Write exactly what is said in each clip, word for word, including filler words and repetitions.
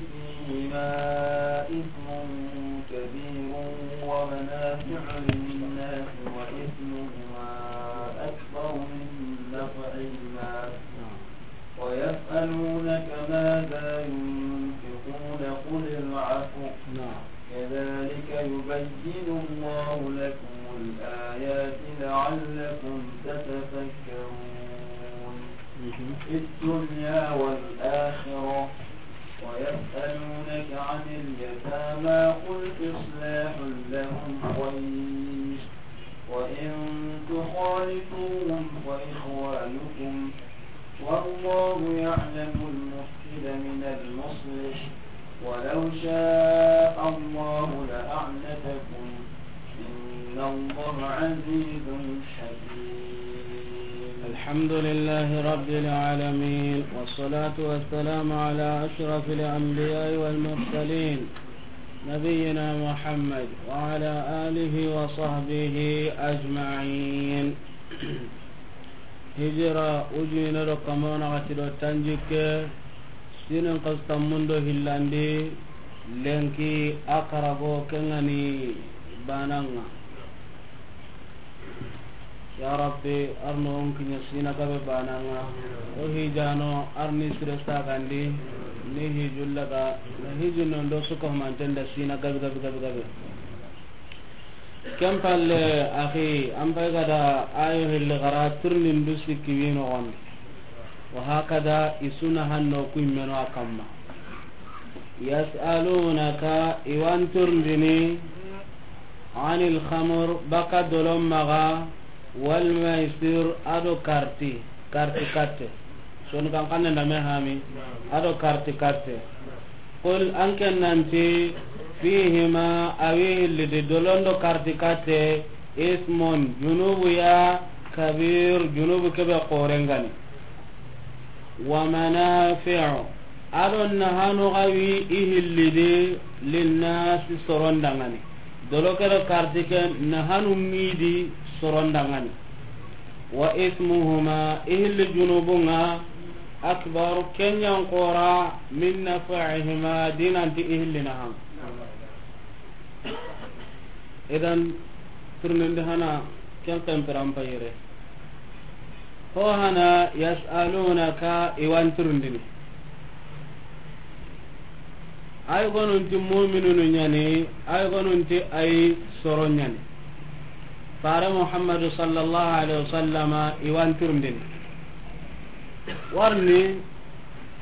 فيهما إثم كبير ومنافع للناس وإثمهما أكبر من نفعهما ويسألونك ماذا ينفقون قل العفو كذلك يبين الله لكم الآيات لعلكم تتفكرون في الدنيا والآخرة ويسألونك عن اليتامى قل إصلاح لهم خير وإن تخالطوهم فإخوانكم والله يعلم المفسد من المصلح ولو شاء الله لأعنتكم إن الله عزيز حكيم. الحمد لله رب العالمين، والصلاة والسلام على أشرف الأنبياء والمرسلين، نبينا محمد وعلى آله وصحبه أجمعين. Hijira ujine do kamona gati do tanjikke, sinin kasu tammundo hillandi, lenki a karago kengani bananga. Ya Rabbi, arno on kinya sina gabe bananga. O hijano arni sire sagandi, ni hijullaga, na hijunondo suka humantenda sina gabe gabe gabe gabe. Ken palle, axi, an pay gada ayo hilli xara tirnindu sikki wi noxondi. Wa hakada i suna hanno ku immeno a kamma. Yasalunaka, i wan tirndini, anil khamr, baka dolon maxa, wal maisir, ado karti, karti katte. Sonu kan kanne ndame hami, ado karti katte. Qul, an ken nanti, fihima, awi hillidi dolondo karti katte, ismun, junubu ya, kabir, junubu kebe korengani. Wa manafi'u, ado nahanu gawi i hillidi, linnasi, sorondangani. Dolo kere karti ke nahanu ngidi sorondangani. Wa ismuhuma, i hilli junubunga, akbar, kenyan kora, min nafa'ihima, dinanti i hilli nahan. Idan, tirnindi hana, ken kempiran payire. Ho hana, yasalunaka, i wan tirndini. Ay gonunti mu'minunu ñani, ay gonunti ay soro ñani. Fare Muhammadu sallallahu alaihi wasallama i wan tirndini. Warni,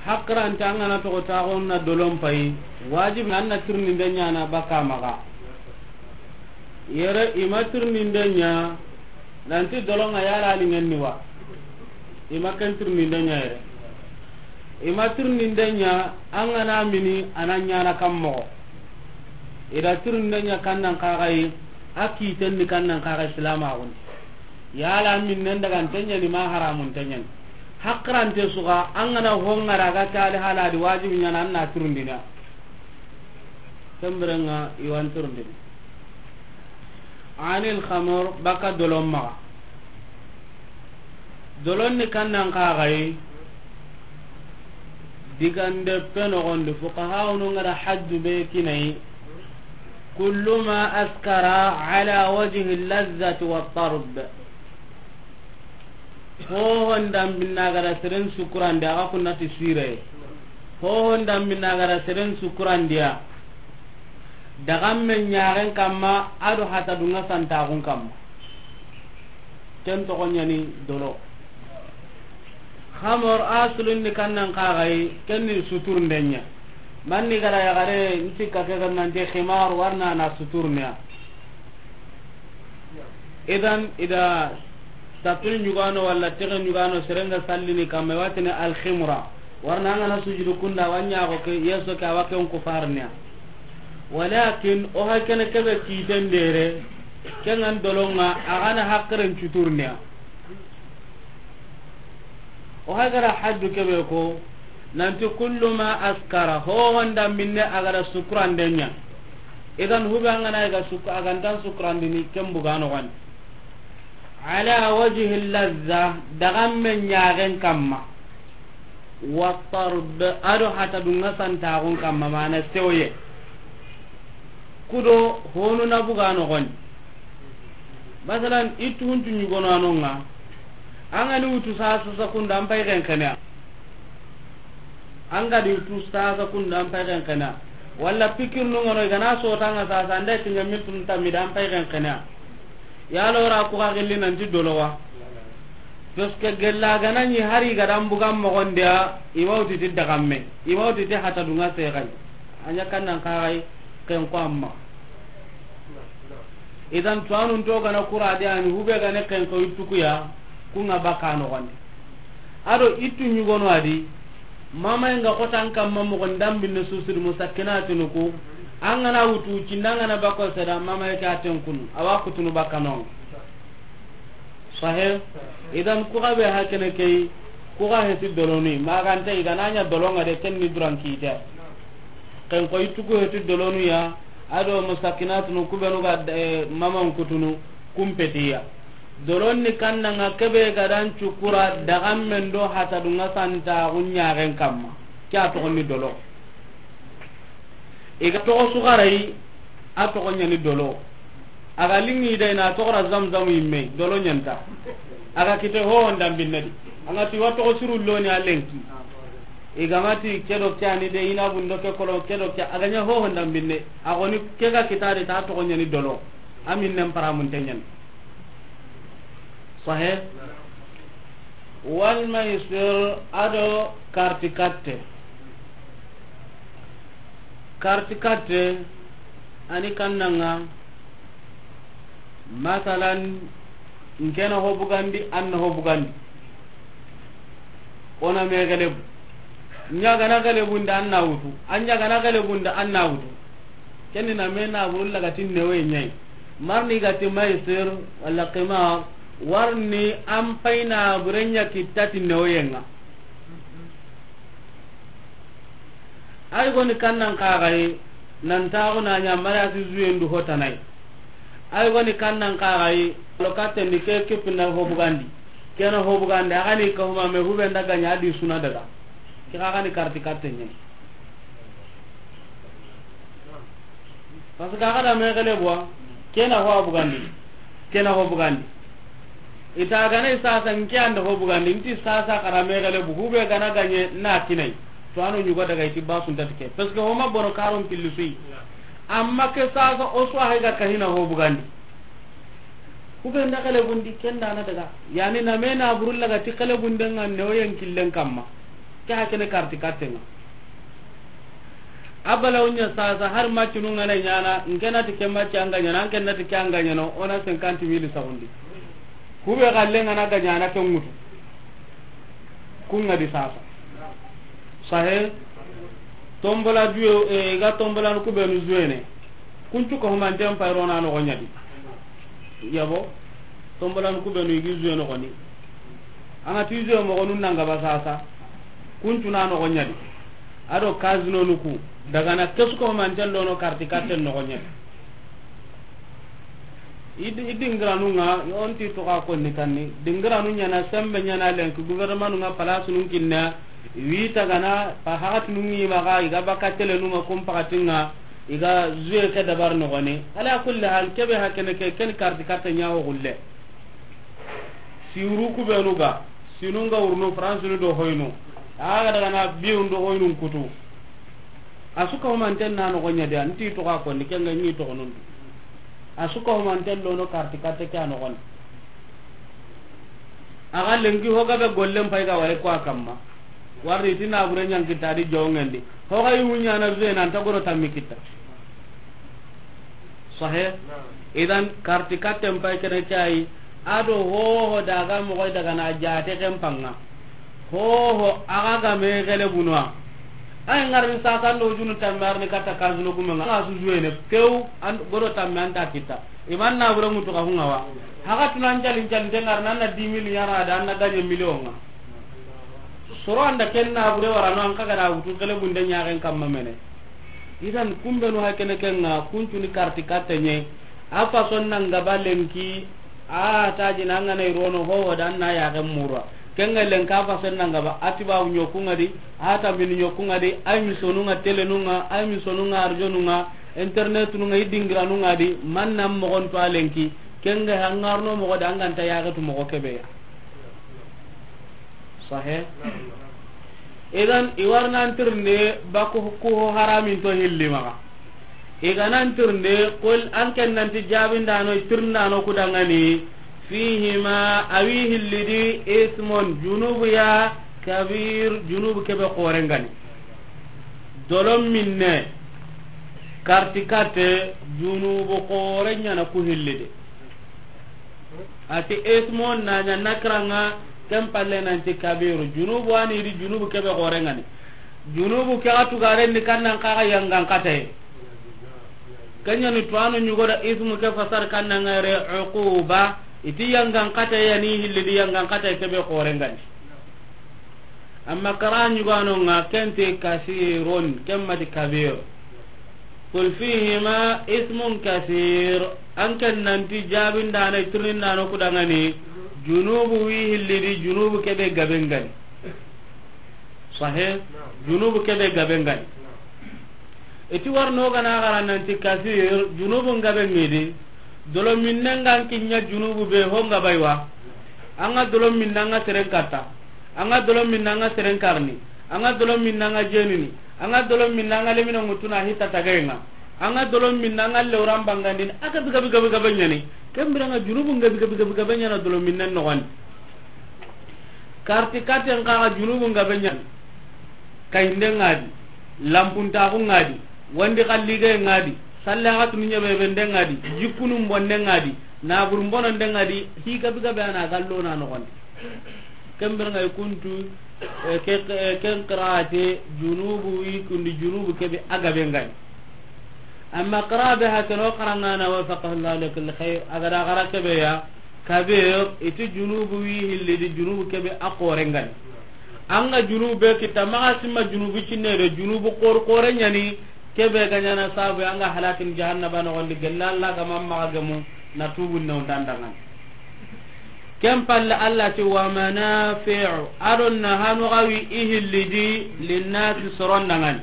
hakrante an gana toxo taxon na dolon pay, wajibi an na tirninde ñana baka maxa. Yere i ma tirninde ña, nanti dolonga yala ni ngenni wa. I ma ken tirninde ña yere. I ma tirninde ña, an gana mini, a na ñana kan moxo. I da tirninde ña kan nan kaxayi, a kiten ni kan nan kaxayi silamaxundi. Yala minnen daga nte ñani ma haramun te ñani. Hakrante suga, an gana hongara ga tali haladi wajibi ñana an na tirndina. Kembirenga i wan tirndini. Anil khamr, baka dolon maxa. Dolon ni kan nan kaxayi, digande pe noxondi, fuqahaunu ngara haddu be kinayi, kullu ma askara ala wajhi lazzati wa tarb. Hohon dambinna gara seren sukurandi, axa kunnati sire. Hohon dambinna gara seren sukurandiya. Dagamme ñaxen kamma, ado hata dunga santaxun kamma. Ken toxo ñani dolo. Xamor a sulunni kannan kaxayi, kenni suturnden ña. Manni gara yaxare, ntikka ke gannante ximar warna na suturneya. Idan, ida tapil ñugano walla tege ñugano serenga sallini kamma, watini alximra. Warna angana sujudu kunda, wa ñaxo ke, yeso ke, awa ken kufarneya. Walakin, o hay kene kebe kiten dere, kengan dolonga, agana hakkeren cuturneya. O hay gara haddu kebe ko, nanti kullu ma askara, ho honda minne agara sukurandenya. Idan hube angana ga suk-, agantan sukurandini kembugano wan. Ala wajhi lazza, dagamme ñagen kamma. Wa tarb, a do hata dunga santaxun kamma, mana sewoye. Kudo honu na buga noxondi. Masalan, i tuntu ɲugono a nonga. An ga ni wutu sasa, sasa kunda an pay xenxene. An ga di wutu sasa kunda an pay xenxene. Walla pikir nungono i ga na sotanga sasa, an da kiɲa miltun tammi da an pay xenxene. Yalo ra ku ga gilli nanti dolowa. Parce que gella ga na ɲi hari ga dan bugan moxondiya, i ma wuti ti dagamme, i ma wuti ti hata dunga sexay. A ɲa kan nan kaxay ken ko amma. Idan tuwanun to ga na kura de, ani hube ga ne ken ko ittukuya, kunga baka noxondi. A do ittu ɲugono a di, mamaye nga xotan kamma moxon dambinne susudi musakkinatinu ku, an ga na wutu cinda an ga na bako seda mamaye ke a ten kunu, a wa kutunu bakka nonga. Sahe. Idan ku ga be hakene key, ku ga heti doloni, maganta i ga na ɲa dolonga de, ken ni duran kite. Ken ko ittu ku heti dolonu ya, a do musakkinatunu ku benu ga, eh, maman kutunu, kumpetiya. Dolon ni kannanga kebe ga dan cukura dagammen do hata dunga santaxu ɲaxen kamma. Ke a toxo ni dolo. I ga toxo suxarayi, a toxo ɲani dolo. A ga lingi da i na toxora zamzam yimme, dolo ɲanta. A ga kite hoho ndambinne di. A ga ti wa toxo siru loni a lenki. I ga ma ti ke do ke ani de, i na bundo ke kolo, ke do ke, a ga ɲa hoho ndambinne. A goni ke ga kitari ta toxo ɲani dolo. A minnen paramunte ɲani. Sahe. Wal maisir, a do karti katte. Karti katte, ani kannanga, masalan, n ke na ho bugandi, an na ho bugandi. O na me gelebu. Ɲa ga na gelebunda an na wutu. An ɲa ga na gelebunda an na wutu. Ken ni na me na buru laga ti newe ɲayi. Marni ga ti maisir wala qimar, warni an pay na bure ɲa kitta ti neweyenga. Ay goni kannan kaxayi, nan taxu na ɲa mari a ti zuyendu hotanay. Ay goni kannan kaxayi, lo kattendi ke kipina ho bugandi. Ke na ho bugandi, a ga ni ka huma me hube nda ga ɲa di suna daga. Ke xa ga ni karti katte ɲe. Parce que a ga da me gelebu wa, ke na ho a bugandi, ke na ho bugandi. I ta ga na i sasa n ke an da ho bugandi, n ti sasa xa da me gelebu, hube ga na ga ɲe na kinay. To a no ɲugo daga i ti basun ta ti ke. Parce que ho ma bono karon pilli su yi. Amma ke sasa o su a hay ga ka hina ho bugandi. Hube nda gelebundi, ken da na daga. Yani na me na buru laga ti gelebunden ŋa neweyen killen kamma. Ke hakene karti katten ŋa. A balawu ɲa sasa, har macinu ŋa na ɲana, n ke na ti ke maci an ga ɲana, an ke na ti ke an ga ɲana, o na cinquante mille saxundi. Hube xallen ŋa na ga ɲana ke ŋutu. Kun ŋa di sasa. Sahe. Tombola duwe, eh, i ga tombola nu ku benu zuwene. Kuncu ko humanten pay ro na noxo ɲa di. Yabo. Tombola nu ku benu i gi zuwe noxoni. An ga ti zuwe moxonu nan ga ba sasa. Kuncu na noxo ɲa di. A do casino nu ku. Daga na kesu ko humanten lono karti katten noxo ɲa di. I di-, i dingiranu ŋa, on ti toxa konni kanni. Dingiranu ɲana, sembe ɲana lenki, gouvernement nu ŋa, place nun kinna, wi tagana, pa haxati nun ŋi maxa, i ga baka tele nu ŋa, kun pakati ŋa, i ga zuwe ke dabar noxoni. Ala kulli hal, kebe hakene ke, ken karti katte ɲa ho gulle. Siru ku benu ga, sinu ŋa wurnu, France nu do hoynu. A ga daga na biun do hoynun kutu. A su ka humanten na noxo ɲa di, an ti toxa konni, ken ga ɲi toxonun di. A su ka humanten lono karti katte ke a noxon di. A ga lenki ho ga be gollen pay ga wari ko a kamma. Warni ti na bure ɲan kitta di jongen di. Ho ga yi wuɲa na zuwe nan ta goro tammi kitta. Sahe. Idan karti katten pay kene ke ayi. A do hoho daga moxoy daga na jate ken panga. Hoho a ga ga me gelebu no a. Ay ŋarini sasa ndo junu tammi arni katta kasino gume ŋa. A su zuwene pew an godo tammi an ta kitta. Iman na bure ŋutu ka hunga wa. Haga tunan calin calin te ŋarna an na dix mille ɲana da an na gagne million ŋa. Soro an da ken na bure wara no an ka ga da wutu gelebunde ɲaxen kamma mene. Idan kumbenu hakene ken ŋa kuncuni karti katte ɲe. A fason nan gaba lenki, a taji nan ga na i rono hoho da an na yaxen mura. Ken ga lenka fasen nan gaba, a tibabu ɲokunŋa di, a tambini ɲokunŋa di, ay misonunŋa telenunŋa, ay misonunŋa arjonunŋa, internetununŋa, i dingiranunŋa di, man nan moxon to a lenki, ken ga hangarno moxo di, an ga nta yaxetu moxo kebe ya. Sahe? Idan, i wari nan tirinde baku ku ho haramin to hilli maxa. I ga nan tirinde, qul, an ken nanti jabindano, tirindano ku dangani, fihima, a wi hilli di, ismun, junubu ya, kabir, junubu kebe xoren gani. Dolon minne, karti kate, junubu xoren ɲana ku hilli de. A ti ismun na ɲa nakiranga, ken palle nanti kabiru. Junubu ani di junubu kebe xoren gani. Junubu ke a tugaren ni kannan kaga yangan kataye. Ken ɲani tuwanu ɲugo da ismu ke fasar kannan ŋere uquba. I ti yangan kataye yani hilli di yangan kataye kebe xoren gani. Amma kara ɲugano ŋa ken ti kasirun, ken mati kabir. Qul fihima ismun kasir. An ken nanti jabindana, tirindano ku dangani, junubu wi hilli di, junubu kebe gaben gani. Sahe? Junubu kebe gaben gani. I ti warno gana gara nanti kasir, junubu gaben ŋi di. Dolo minnen ga an kiɲa junubu be ho nga baywa. An ga dolo minna an ga seren katta. An ga dolo minna an ga seren karni. An ga dolo minna an ga jenini. An ga dolo minna an ga lemina ŋutuna hita tagayenga. An ga dolo minna an ga lewran bangandini. A gabi gabi gabi gabi ɲani. Ken biranga junubu gabi gabi gabi gabi ɲana dolo minnen noxondi. Karti katen kaga junubu gabe ɲani. Kayinde ŋa di, lampuntaxu ŋa di, wandi xallige ŋa di, sallaxatunu ɲebebende ŋa di, jikkunu mbonde ŋa di, naburu mbononde ŋa di, hi gabi gabe ana gallona noxondi. Ken biranga i kuntu, eh, ke, eh, ken qirate junubu wi kundi junubu kebe a gabe ngani. Amma qira be ha keno qarangana wafaqahu Allahu li kulli khair, a ga da xara kebe ya, kabir, i ti junubu wi hilli di junubu kebe a xoren gani. An ga junubu be kita maxa simma junubu cinne de junubu xor xore ɲani, kebe ga ɲana sabu an ga halakin jahannaba noxondi gella Allah ga mamma ga gemu na tubu ne on dandangan. Ken palle Allah ti wa manafi'u, a do nahanu ga wi i hilli di linnasi soron dangan.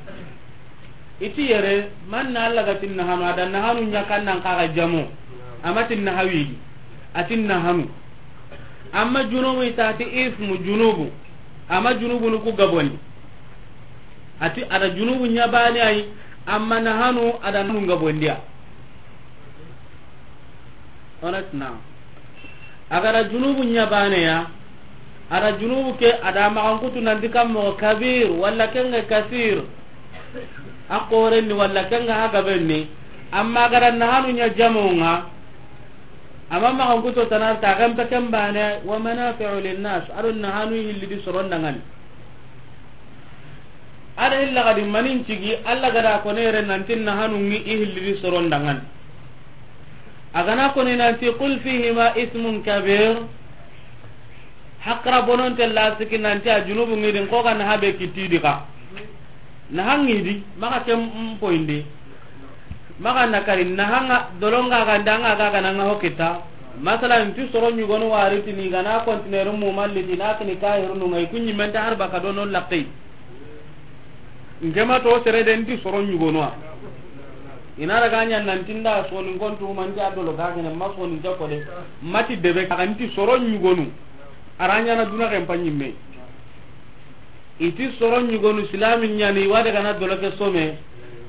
I ti yere, man na Allah ga tin nahanu, a da nahanu ɲa kannan kaga jamo. A ma tin nahawi di. A tin nahanu. Amma junubu i ta ti ismu junubu. Amma junubu nu ku gabondi. A ti a da junubu ɲa bane ay, amma nahanu a da nahanu gabondiya. Onet na. A ga da junubu ɲa bane ya, a da junubu ke, a da maxan kutu nanti kan moxo kabir, walla ken ga kasir. A xoren ni, walla ken ga ha gaben ni. Amma a ga da nahanu ɲa jamonga, amma maxan kutu tanar ta, a ga mpe ken bane, wa manafi'u linnas, a do nahanu hilli di soron dangan. A da hilla gadi manin cigi, Allah ga da kone yere nanti nahanu ŋi i hilli di soron dangan. A ga na kone nanti qul fihima ismun kabir. Hakra bononte la siki nanti a junubu ŋi di, ko ga naha be kitti di ka. Naha ŋi di, maxa ken mpoindi. Maxa na kari, nahanga, dolonga ga ndanga ga ga nanga ho kita. Masalan, ti soro ɲugonu wari tini ga na kontineru mu malli ti na kini kahirunu ŋa i ku ɲi menta har baka dono laqqi. Ngema to sere de nti soro ɲugonu a. I na daga ɲa nanti nda soni ngontu manti a dolo ga gene ma soni jako de. Mati debe ka nti soro ɲugonu. A ra ɲana duna ken pa ɲimme. I ti soro ɲugonu silami ɲani wa daga na dolo ke some.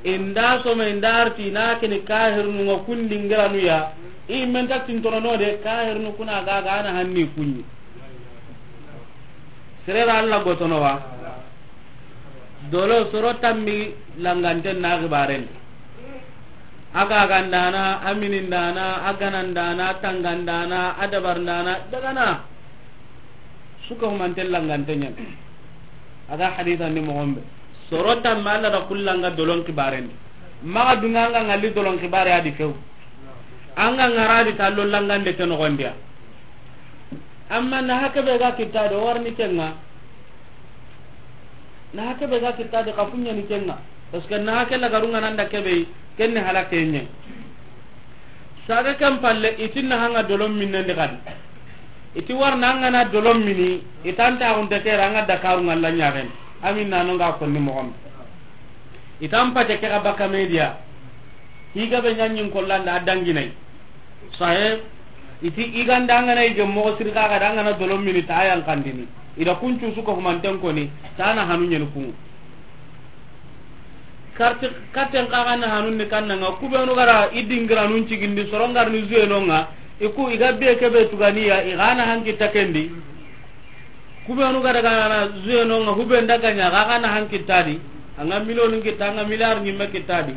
I nda some i nda arti na kini kahirunu ŋa kundi ngiranu ya. I menta tintorono de kahirunu kuna ga ga na hanni kunɲi. Sere ra Allah gotono wa. Dolo soro tammi langanten na xibaren. A gagandana, a minindana, a ganandana, a tangandana, a dabarndana, dagana. Suka humanten langanten ɲan. A ga hadisa ni moxon be. Soro tammi Allah da kullanga dolon xibaren. Maxa dunga anga ngalli dolon xibare a di few. Anga ngara di tallo langande ke noxondiya. Amma na hake be ga kitta do warni kenga. Na hake be ga kitta de kafunya ni kenga. Parce que na hake la garunga nanda kebe kenne halake nye. Saga kan palle itin na hanga dolon minnen de kadi. I ti wari na an ga na dolon mini, i tan ta xunte ke ra an ga Dakaru ŋalla ɲaxen. Amin na no ga konni moxon. I tan pate ke ga baka media. Higa be ɲaɲin kollanda a danginai. Sahe, i ti i ganda an ga na i ge moxo siri xa ga da an ga na dolon mini ta yan kandini. I da kuncu su ko humanten koni, ta na hanu ɲeni kunŋu. Karti katten xa ga na hanun ni kanna ŋa, ku be nu ga ra i dingiranun cigindi soron ga ri ni zuyenonŋa, i ku i ga be ke be tuganiya, i ga na hanki takendi. Ku be nu ga daga na zuyenonŋa, hu be ndaga ɲa, ga ga na hanki tadi. An ga miliyoni kita, an ga miliyar ɲimme kita di.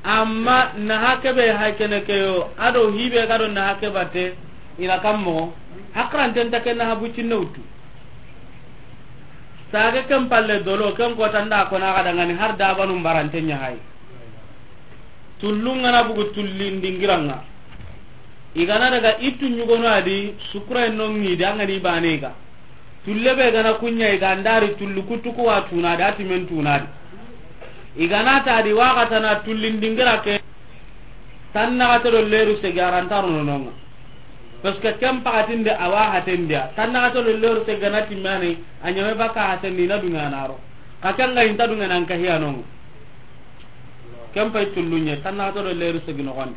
Amma na hake be hay kene ke yo, a do hi be ga do na hake bate, i na kam moxo. Hakranten ta ke na habu cinne wutu. Sage ken palle dolo, ken kota nda ko na ga dangani har dabanu mbarante ɲa hay. Tullun ga na bugu tullin dingiranŋa. I ga na daga i tu ɲugono a di, sukura no ŋi di an ga ni bane ga. Tulle be ga na kuɲa i ga ndari tullu kutu ku wa tuna di, a ti men tuna di. I ga na ta di wa ga ta na tullin dingira ke. Tan naxate do leru segi a ra nta ro no nonŋa. Parce que ken paxatinde a wa hatendiya. Tan naxate do leru segi ga na timmani a ɲame baka hatendi na duŋa na ro. Xa ken ga i nta duŋa nan ka hiya nonŋa. Ken pay tullu ɲe tan naxate do leru segi noxondi.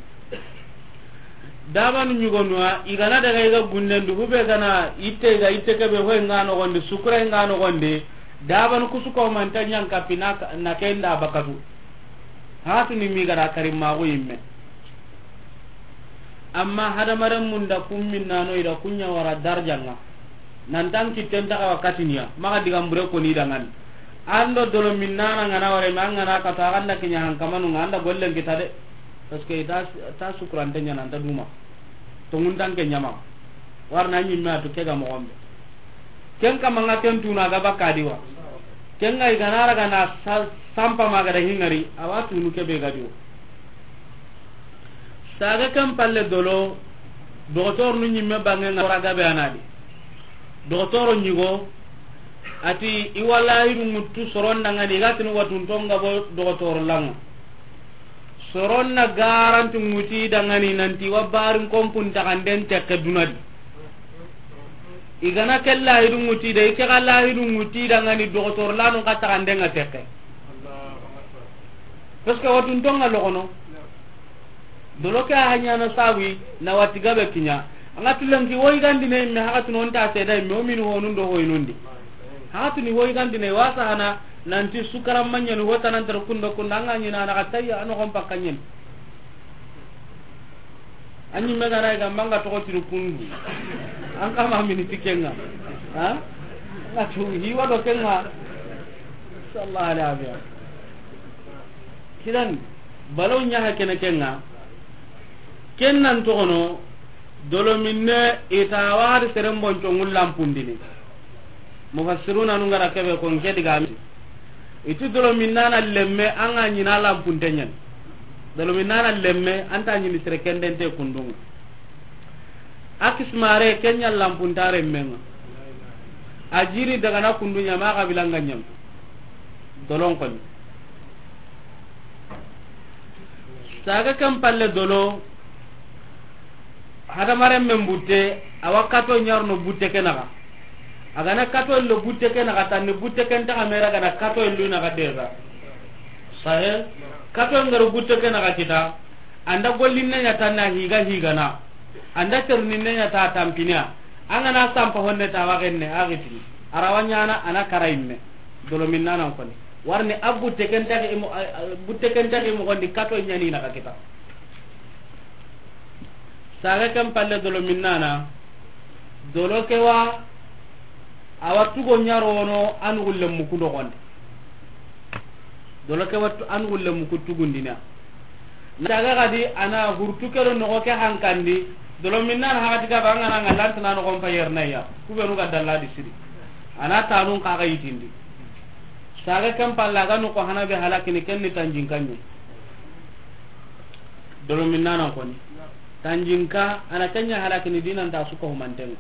Dabanu ɲugonuwa i ga na daga i ga gunden du, hu be ga na itte i ga itte ke be hoy nga noxondi, sukura nga noxondi. Dabanu kusu ko manta ɲan kapi na, na ken da bakatu. Hatu ni mi ga da karim maxu yimme. Amma hadamaren munda kun minnano i da kuɲa wara darjanŋa. Nan tan kitten ta xa wa katiniya, maxa digan bure ko ni dangani. An do dolo minnana nga na ware ma nga na kata, a ga nda kiɲa hankamanu nga, an da gollen kita de. Parce que i ta, ta sukurante ɲa na nta duma. Tonŋun tan ke ɲama. Wari na ɲimme a tu ke ga moxon be. Ken kama nga ken tuna ga baka di wa. Ken ga i ga na ra ga na sa-, sampa ma ga da hingari, a wa tunu ke be ga di wo. Saga ken palle dolo, doxotor nu ɲimme bange nga ra ga be a na di. Doxotoro ɲigo, a ti i wa lahidu ŋutu soron dangani, i ga tini watunton ga bo doxotoro lanŋa. Soron na garanti ŋuti dangani nanti wa barin kompun taxanden tekke duna di. I ga na ke lahidu ŋuti de, i ke ga lahidu ŋuti dangani doxotoro lanu ka taxanden ŋa tekke. Parce que watunton ŋa loxono. Dolo ke a haɲana sawi na wati gabe kiɲa. An ga tulenki woyi gandine imme, haxatunu o nta seda imme, o mini honun do hoynundi. Haxatuni woyi gandine wasa hana nanti sukaran maɲani hota nan tar kundo kunda, an ga ɲina na ka tayya ano gon pakka ɲen. An ɲimme ga na ga manga toxo tiri kundu. An kama mini tikenga. Ha? An ga tu hiwa do kenga. Sallallahu alaihi wa sallam. Kidan, balaw ɲa ha kene kenga. Ken nan toxono, dolo minne i ta wari seren bonco ŋu lampundini. Mufassiruna nu nga ra kebe ko nke diga mi. I ti dolo minnana lemme an ga ɲina lampunte ɲani. Dolo minnana lemme an ta ɲini sere kendente kundunŋa. A kismare kenya lampuntare menga. A jiri daga na kundu ɲama xabilanga ɲam. Dolon koni. Saga ken palle dolo, hadamaren men butte, a wa kato ɲarno butte ke naxa. A ga na kato lo butte ke naxa, tanni butte ken taxa mera ga na kato lu naxa deza. Sahe, kato ngaro butte ke naxa kita, an da gollinne ɲa tanna higa higana. An da terninne ɲa ta tampiniya. An ga na sampa honne ta wa genne, a gitini. A ra wa ɲana, a na kara imme. Dolo minnanan koni. Warni a butte ken taxi i mo-, a, a, butte ken taxi i moxondi kato ɲani na ka kita. Saga ken palle dolo minnana. Dolo ke wa, a wa tugo ɲarono a nugulle muku noxondi. Dolo ke wa tu-, a nugulle muku tugundina. Daga gadi a na hurtu ke do noxo ke hankandi, dolo minnan haxati ga ba an ga na nga lantana noxon pa yernaya, ku be nu ga dalla di siri. A na tanun xa ga yitindi. Saga ken palla ga noxo hana be halakini ken ni tanjinka ɲi. Dolo minnanan koni. Tanjinka, a na ken ɲa halakini dinan ta suka humantenga.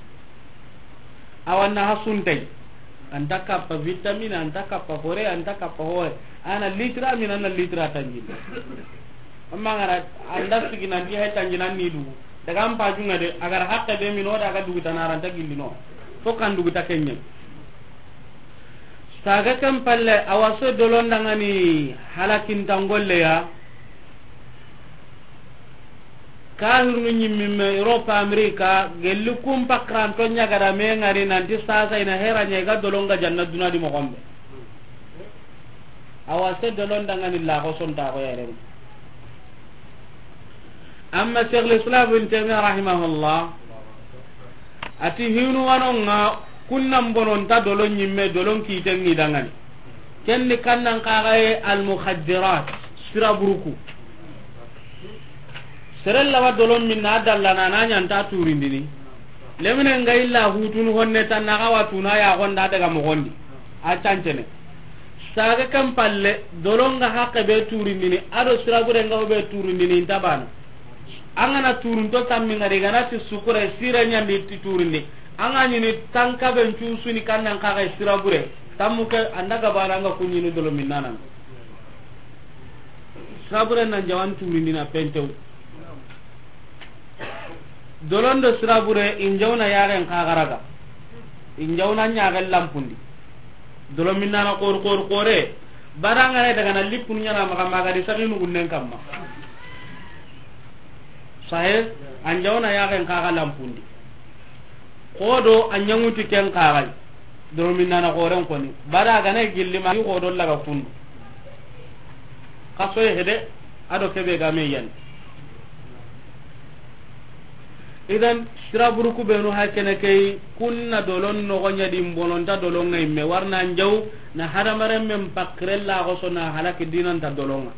Awa na ha suntay. An ta kappa vitamine, an ta kappa fore, an ta kappa hoye. A na litra min, a na litra tanjin. Amma ngara, an da sigi nan di hay tanjin an ni du. Daga an pajunga de, a ga ra haqqe be mini o da ga duguta na ranta gillino. Fo kan duguta kenye. Saga kan palle, a wa so dolon dangani halakintan golle ya. Kahirnu ñimmimme Europe, America, gelli kun pakranto ñagada me ngari nanti sasa ina hera ña i ga dolonga janna duna di moxombe. A wa se dolon dangani laxo sontaxo yeren. Amma Cheikh l'Islam Ibn Taymiyyah rahimahullah, ati hinu wanonga kunnan bononta dolon ñimme, dolon kiten ni dangani. Ken ni kannan kaxaye almukhaddirat, sira buruku. Seren lawa dolon minna a dallana na ñanta turindini. Lemine nga illa hutunu honne tan na xawa tuna ya gonda daga moxondi. A cancene. Saga kan palle, dolonga haqqe be turindini, ado sirabure nga be turindini, inta bana. An gana turunto tammi ngari, gana ti sukure, sire ñandi ti turindi. An ga ñini tanka ben cusuni kannan kaxe sirabure. Tammu ke anda gabana nga kuñini dolo minnanan. Sirabure nan jawan turindina pentew. Dolondo sirabure, in jawna yaxen xaxaraga. In jawna ñaxen lampundi. Dolo minnana xori, xori, xore. Barangane daga na lippunu ñana maxa, maxa di saxinu gunnen kamma. Sahe, an jawna yaxen xaxa lampundi. Xodo a ñaŋuti ken xaxay. Dolo minnana xoren koni. Bara gana gilli ma xodo laga kundu. Xasoye hede, ado kebe game yan. Idan, sira buruku benu hakene kei, kunna dolon noxo ñadi, mbononta dolonga imme, warna njaw, na hadamaren men pakirella xoso na halaki dinanta dolonga.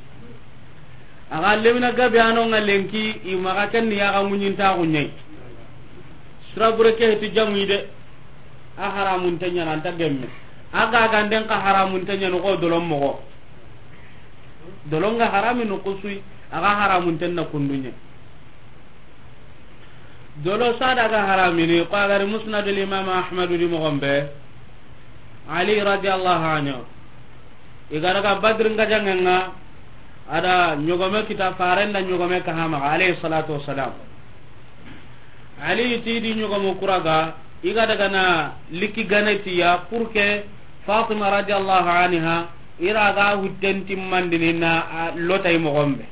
Axa lemina gabe anonga lenki, i maxa ken ni yaxa ŋuñintaxu ñayi. Sira bure ke heti jamuyi de, a haramunte ñana anta gemme. A gaganden xa haramunte ñani xo dolon moxo. Dolonga harami no kusuyi, axa haramunten na kundu ñayi. Dolo sada ga haramini, ko a gari Musnadul Imam Ahmadu di moxon be, Ali radiyallahu anhu. I ga daga Badri nga jangenga, ada ñogome kita, faren da ñogome kaha maxa, alayhi salatu wassalam. Ali ti di ñogomo kuraga, i ga daga na likki ganetiya pour que Fatima radiyallahu anha, i ra ga hutten timmandini na, a, lotay moxon be.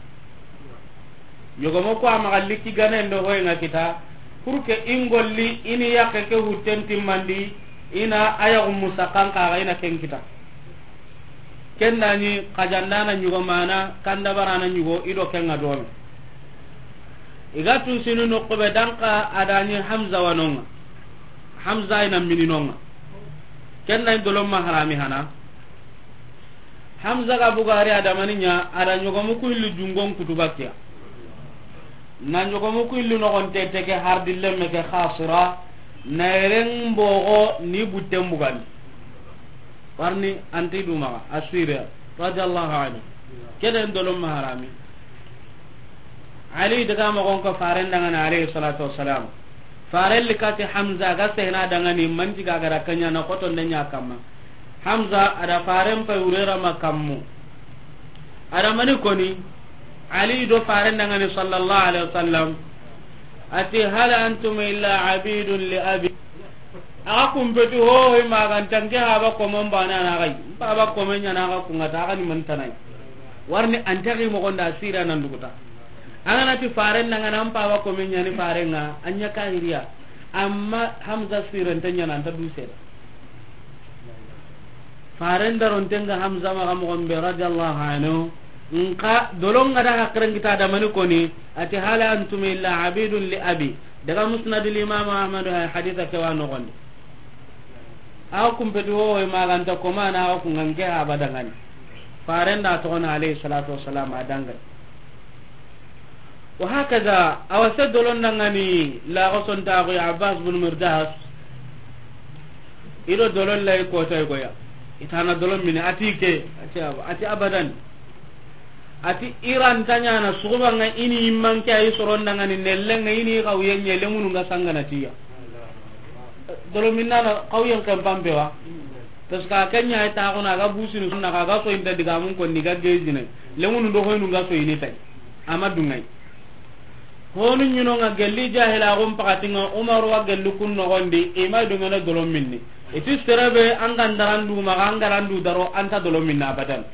Ñogomo ko a maxa likki ganen do hoyenga kita, pour que i ngolli i ni yaxe ke hutten timmandi, i na a yaxu musakan kaxa i na ken kita. Ken da ñi xajandana ñugo mana, kandabarana ñugo, i do kenga dome. I ga tusini noqu be danka, a da ñi Hamza wanonga. Hamza i na mininonga. Ken da ñi dolon ma harami hana. Hamza ga bugari adamani ña, a da ñogomu ku illi jungon kutuba kiya. Na ñogomu ku illi noxonte teke hardi lemme ke xasira, na yeren boxo ni butten bugandi. Warni anti dumaxa, Assyria, radiyallahu anhu. Keden dolon ma harami. Ali daga moxon ko faren dangana, alayhi salatu wassalam. Faren likati Hamza ga sehna dangani, manti ga gara kanya na xoto nde ña kamma. Hamza ada faren pay urera ma kammu. Ada mani koni, Ali do faren dangani sallallahu alaihi wasallam. Ati, "Hal antum illa abidun li abi." Aga kumpeti ho, ho, magantanke haba komon bana na gai. Baba komen ñana ga kungata, aga ni mantanai. Warni antaki mogonda sira nan duguta. Angana ti faren dangana, an paba komen ñani farenga, anya kahiriya. Amma Hamza siren tanya nan ta dusera. Faren darontenga Hamza maxa moxon be, radiyallahu anhu. Nka dolonga da hakiren kita damani koni, ati, "Hal antum illa abidun li abi." Daga Musnadul Imam Ahmad, hay haditha ke wa noxondi. Awa kumpeti ho, ho, maganta komana, awa kunganke abadangani. Faren da toxona, alayhi salatu wassalam, adangani. Wa hakaza, awa se dolon dangani, laxo sontaxu ya Abbas bin Mirdas, ido dolon lay kotay goya. Itana dolon mini, ati ke, ati ab-, ati abadan. Ati iran tanyana, sugubanga ini immanke ayi soron dangani, nellenga ini xawyen ñe, lemunu nga sangana tiya. Dolon minnana, xawyen kempampe wa. Parce que a kenya ay taxuna, ga busini sunna, ga so inta digamun konni, ga gejine. Lemunu do hoynu nga so ini tay. Ama dungay. Honu ɲinonga gelli jahilaxun pakatinga Umaru wa gelli kun noxondi, i ma dungene dolon minni. I ti serebe an ga ndaran du maxa, an garan du daro, an ta dolon minna abadan.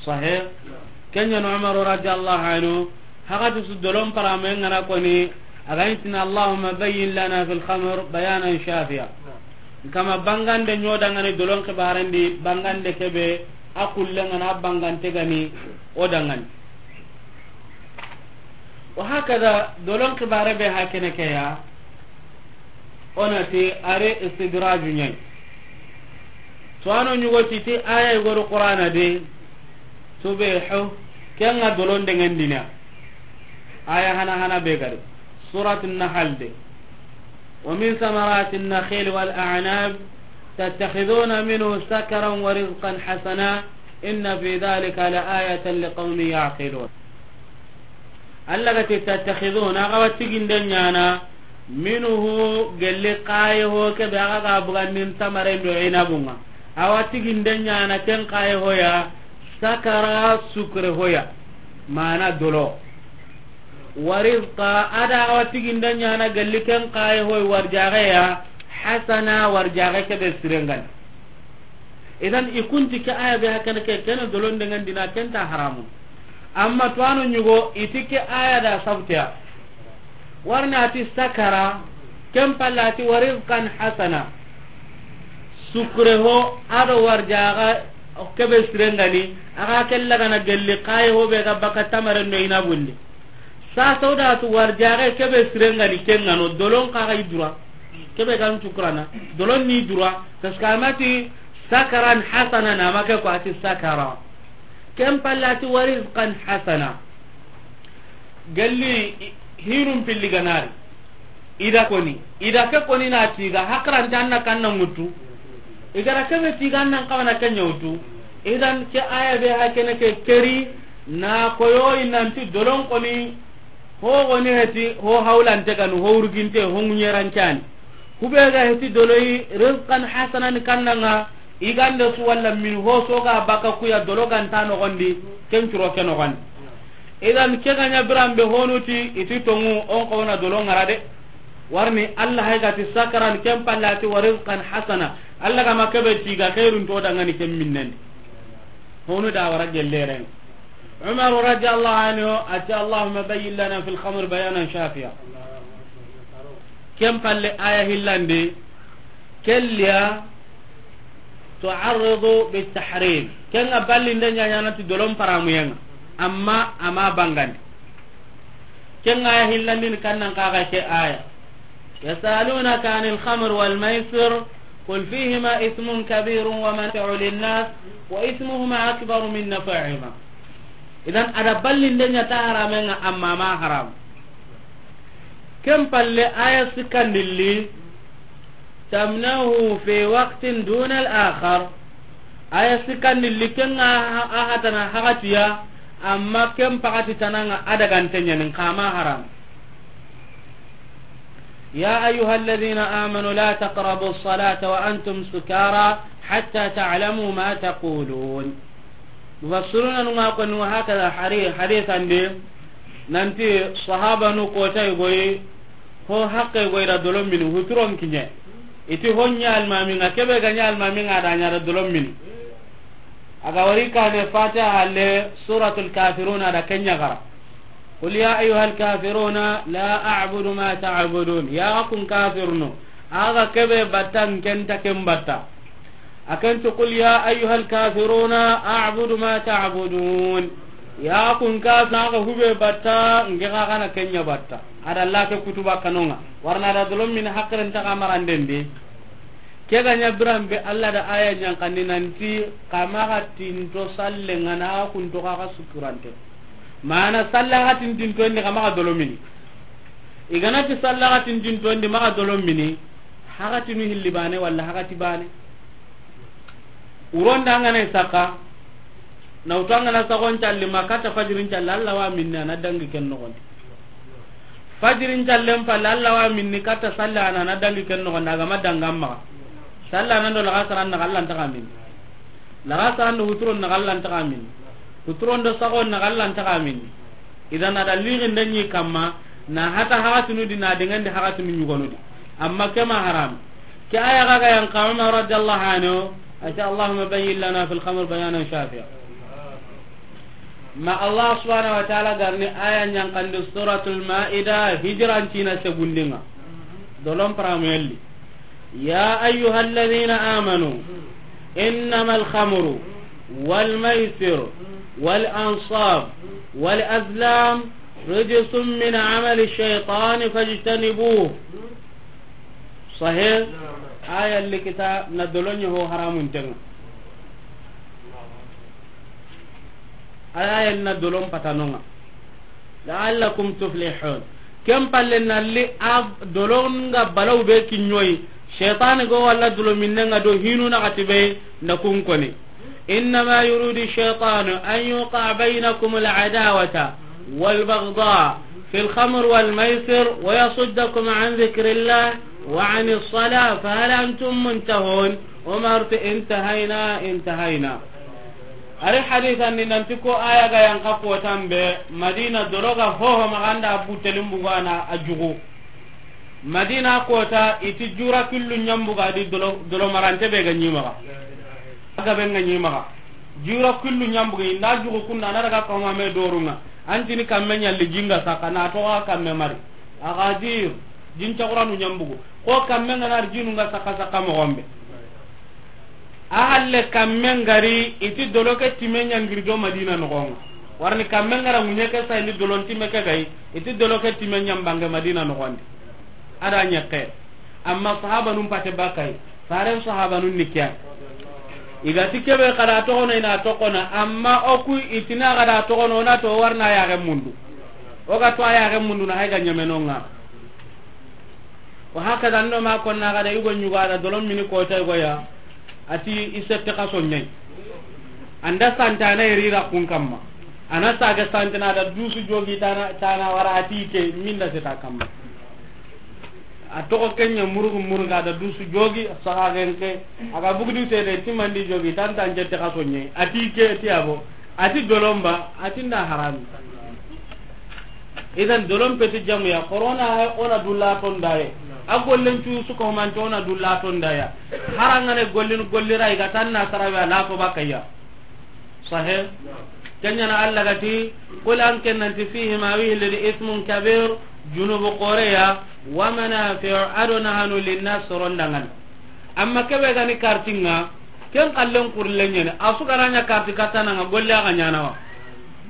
Sahih. Kenya no Umaru radiyallahu anhu, hagati su dolon parame ngana koni, a ga yi tini, "Allahumma bayyin lana fil khamr bayanan shafiya." Kama bangande ɲo dangani dolon xibarendi, bangande kebe a kulle ngana bangante gani o dangani. Wa hakada dolon xibare be hakene ke ya, o na ti are istidraju ɲai. To ano ɲugo ti ti aya i goro Qur'ana de, tubehu, kenga dolon dengendina. Aya hana hana be gari. Suratun Nahl de. ومن ثمرات النخيل والأعناب تتخذون منه سكرا ورزقا حسنا إن في ذلك لآية لقوم يعقلون. Allah ga ti tattakhiduna, a ga wa tiginde ɲana, minhu, gelli kaye ho kebe a ga ga bugandin tamaren do inabunga. A wa tiginde ɲana ken kaye ho ya, sakara, sukre ho ya, mana dolo. Wa rizqa, a da a wa tiginde ɲana gelli ken kaye ho warjaxe ya, hasana, warjaxe kebe sirengani. Idan i kunti ke aya be hakene ke, kene dolon dengendina, ken ta haramu. Amma to ano ɲugo i ti ke aya da sabtiya. Warna ti sakara, ken palla ti wa rizqan hasana. Sukre ho, a do warjaxa kebe sirengani, a ga kella gana gelli kaye ho be ga baka tamaren do inabundi. Sa sawdatu warjaxe kebe sirengani kengano, dolon kaga i dura. Kebe gan cukurana, dolon ni dura, parce que a ma ti sakaran hasana na, ma ke ko a ti sakara. Ken palla ti wa rizqan hasana. Gelli hinum pilli ganari. Ida koni, ida ke koni na tiga, hakrante an na kanna ŋutu. I gara kebe tiga an nan kawana kenya wutu. Idan ke aya be hakene ke keri, na koyo i nanti dolon koni, ho goni heti, ho hawlante ganu, ho urginte, ho ŋuɲerancani. Kube ga heti doloyi, rizqan hasanan kannanga, i gande su walla min ho soga baka kuya dolo ganta nogondi, ken curo ke nogondi. Idan ke ga ɲa biranbe honuti, i ti tongu, on kawna dolo ŋara de. Warni Allah hay ga ti sakaran, ken palla ti wa rizqan hasana. Allah ga ma kebe tiga khairun to dangani ken minnendi. Honu da wara gelleren. Umar radiyallahu anhu a ti, "Allahumma bayyin lana fil khamr bayanan shafiya." Ken palle aya hillandi, kelliya tu'arridu bit tahrim. Kenga ballinde ɲaɲana ti dolon paramuyenga, amma ama bangandi. Kenga aya hillandini kannan kaga ke aya. يسألونك عن الخمر والميسر قل فيهما إثم كبير ومنافع للناس وإثمهما أكبر من نفعهما. Idan ada ballinde ɲa ta haramenga amma ma haram. Ken palle aya sikkandilli, tamnahu fi waqtin duna al-akhar. Aya sikkandilli kenga a hatana hagatiya, amma ken pagati tananga adagante ɲanin kama haram. يا أيها الذين آمنوا لا تقربوا الصلاة وأنتم سكارى حتى تعلموا ما تقولون. Mufassiruna nunga koni wa hakada hari-, hadisandi, nanti sahabanu kota igoyi, ho hakke igoyi da dolomini, huturon kiɲe. Iti ho ɲa almaminga, kebe ga ɲa almaminga da ɲa da dolomini. Aga wari kane Fatiha halle, Suratul Kafiruna da kenya gara. قل يا أيها الكافرون لا أعبد ما تعبدون. Ya kun kafirno. Aga kebe batta, nkenta ken batta. Akan to, "Qul ya ayyuhal kafiruna a'budu ma ta'budun." Ya kun kafirno, aga hube batta, nge ga kana kenya batta. Ada Allah ke kutuba kanonga. Warna da dolomini hakkaren ta kamaranden de. Ke ga ɲa biranbe Allah da aya ɲankandi nanti kamaga tinto salle ngana kunto kaga sukurante. Mana salla ga tintintondi kamaga dolomini. Igana ti salla ga tintintondi maga dolomini. Hagatinu hilli bane walla hagati bane. Uronda ngana saka. Na utanga na sagon calli ma kata fajirin calli Allah wa minna na dangi ken nogondi. Fajirin callen palle, Allah wa minni katta salli ana na dangi ken noxon da, a ga ma danga maxa. Salli ana do laxasaran naxa, Allah ntaxa minni. Laxasaran do huturon naxa, Allah ntaxa minni. Huturon do saxon naxa, Allah ntaxa minni. Idan a da lixinden ɲi kamma, na hata haxatunu di, na dengendi haxatunu ɲugonu di. Amma ke ma haram. Ke aya ga ga yan xa Umar radiyallahu anhu, a ti, "Allahumma bayyin lana fil khamr bayanan shafiya." Ma Allah subhanahu wa ta'ala ga ri aya ɲankandi Suratul Maida, hijran cina segundinga. Dolon paramu yelli. يا أيها الذين آمنوا إنما الخمر والميسر والأنصاب والأزلام رجس من عمل الشيطان فاجتنبوه. Sahih. Aya likita na dolonye ho haramun tenga. Aya na dolon patanonga. La'allakum tuflihun. Ken palle nalli a dolonga balaw be kinyoyi. Shaytan go walla dolo minnenga do hinu na kati be na kun koni. إنما يريد الشيطان أن يوقع بينكم العداوة والبغضاء في الخمر والميسر ويصدكم عن ذكر الله وعن الصلاة فهل أنتم منتهون؟ Umar ti, "Intahayna, intahayna." Ari hadisan ni nanti ko aya ga yan xa kotan be, Madina dologa hoho maganda Abu Telim bugana a jugu. Madina kota iti jura killu ɲambuga di dolo, dolo marante be ga ɲimaga. Aga be ga ɲimaga. Jura killu ɲambuga inda jugu kunda na daga ko ma me dorunga. Antini kamme ɲalli jinga saka na to kamme mari. Aga jir, jin caguranu ɲambugu. Ko kamme nga nar jinu nga saka saka mo gombe. A halle kamme ngari iti doloke time ɲangiri do Madina nogonga. Warni kamme ngara ŋuɲe ke sayni dolon time ke gay, iti doloke time ɲambange Madina nogondi. Ada ɲekke. Amma sahaba num pate bakay. Faren sahaba nun ni kiya. Iga ti kebe kada togono ina tokona, amma oku itina kada togono na to warna ya ge mundu. Oga to ya ge mundu na hayga ɲemenonga. Wa hakaza ndo ma konna gada yugo ɲugo ada dolon mini kota yugo ya. Ati isette kaso ɲai. Anda santana irira kun kamma. Ana saga santana da dusu jogi tana, tana wara ati ke minda seta kamma. A togo kenya murugu muruga da dusu jogi saga genke. Aga bugudi sede timandi jogi tanta jette kaso ɲai. Ati ke ti abo. Ati dolomba, ati nda harami. Idan dolon peti jamu ya, corona he ona dulla tondaye. A gollen cu suko manti ona dulla tondaya. Harangane gollin gollira iga tanna sarawe ala to bakaya. Sahih. Kenya na Allah gati, kul an kennanti fihima wihilidi ismun kabir, junubu koreya, wa manafi'u adona hanu linnas sorondangan. Amma kebe gani kartinga, ken kallen kurle ɲene, a su gana ɲa karti katana nga golle aga ɲana wa.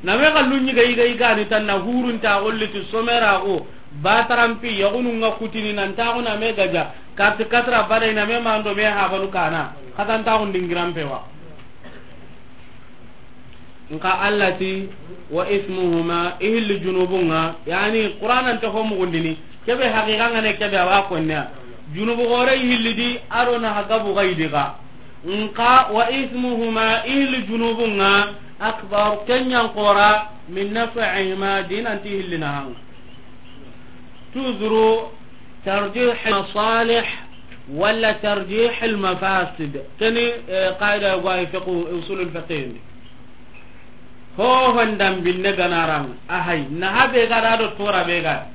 Na me kallu ɲi ga iga iga ni tanna hurun ta golle ti somera go, batarampi, yagunu nga kutini nan ta go na me gaja, karti katra bada ina me mando me habanu kana, katan ta go dingiran pewa. Nka Allah ti, wa ismuhuma, ihilli junubunga, yani Qur'anan ta ho mugundini, kebe haqiqa ngane kebe awa konne. Junubu gore ihilli di, aro na hagabu gaidi ga. Nka wa ismuhuma, ihilli junubunga, akbar, kenyan qora, min naf'ihima, dinanti ihilli na hanga. Toujours tarjih al-masalih wala tarjih al-mafasid. Keni, eh, qaida go ay fiqh, usul al-fiqh ndi. Ho hondam binne ganarang, ahay, na habe gada do tora be gada.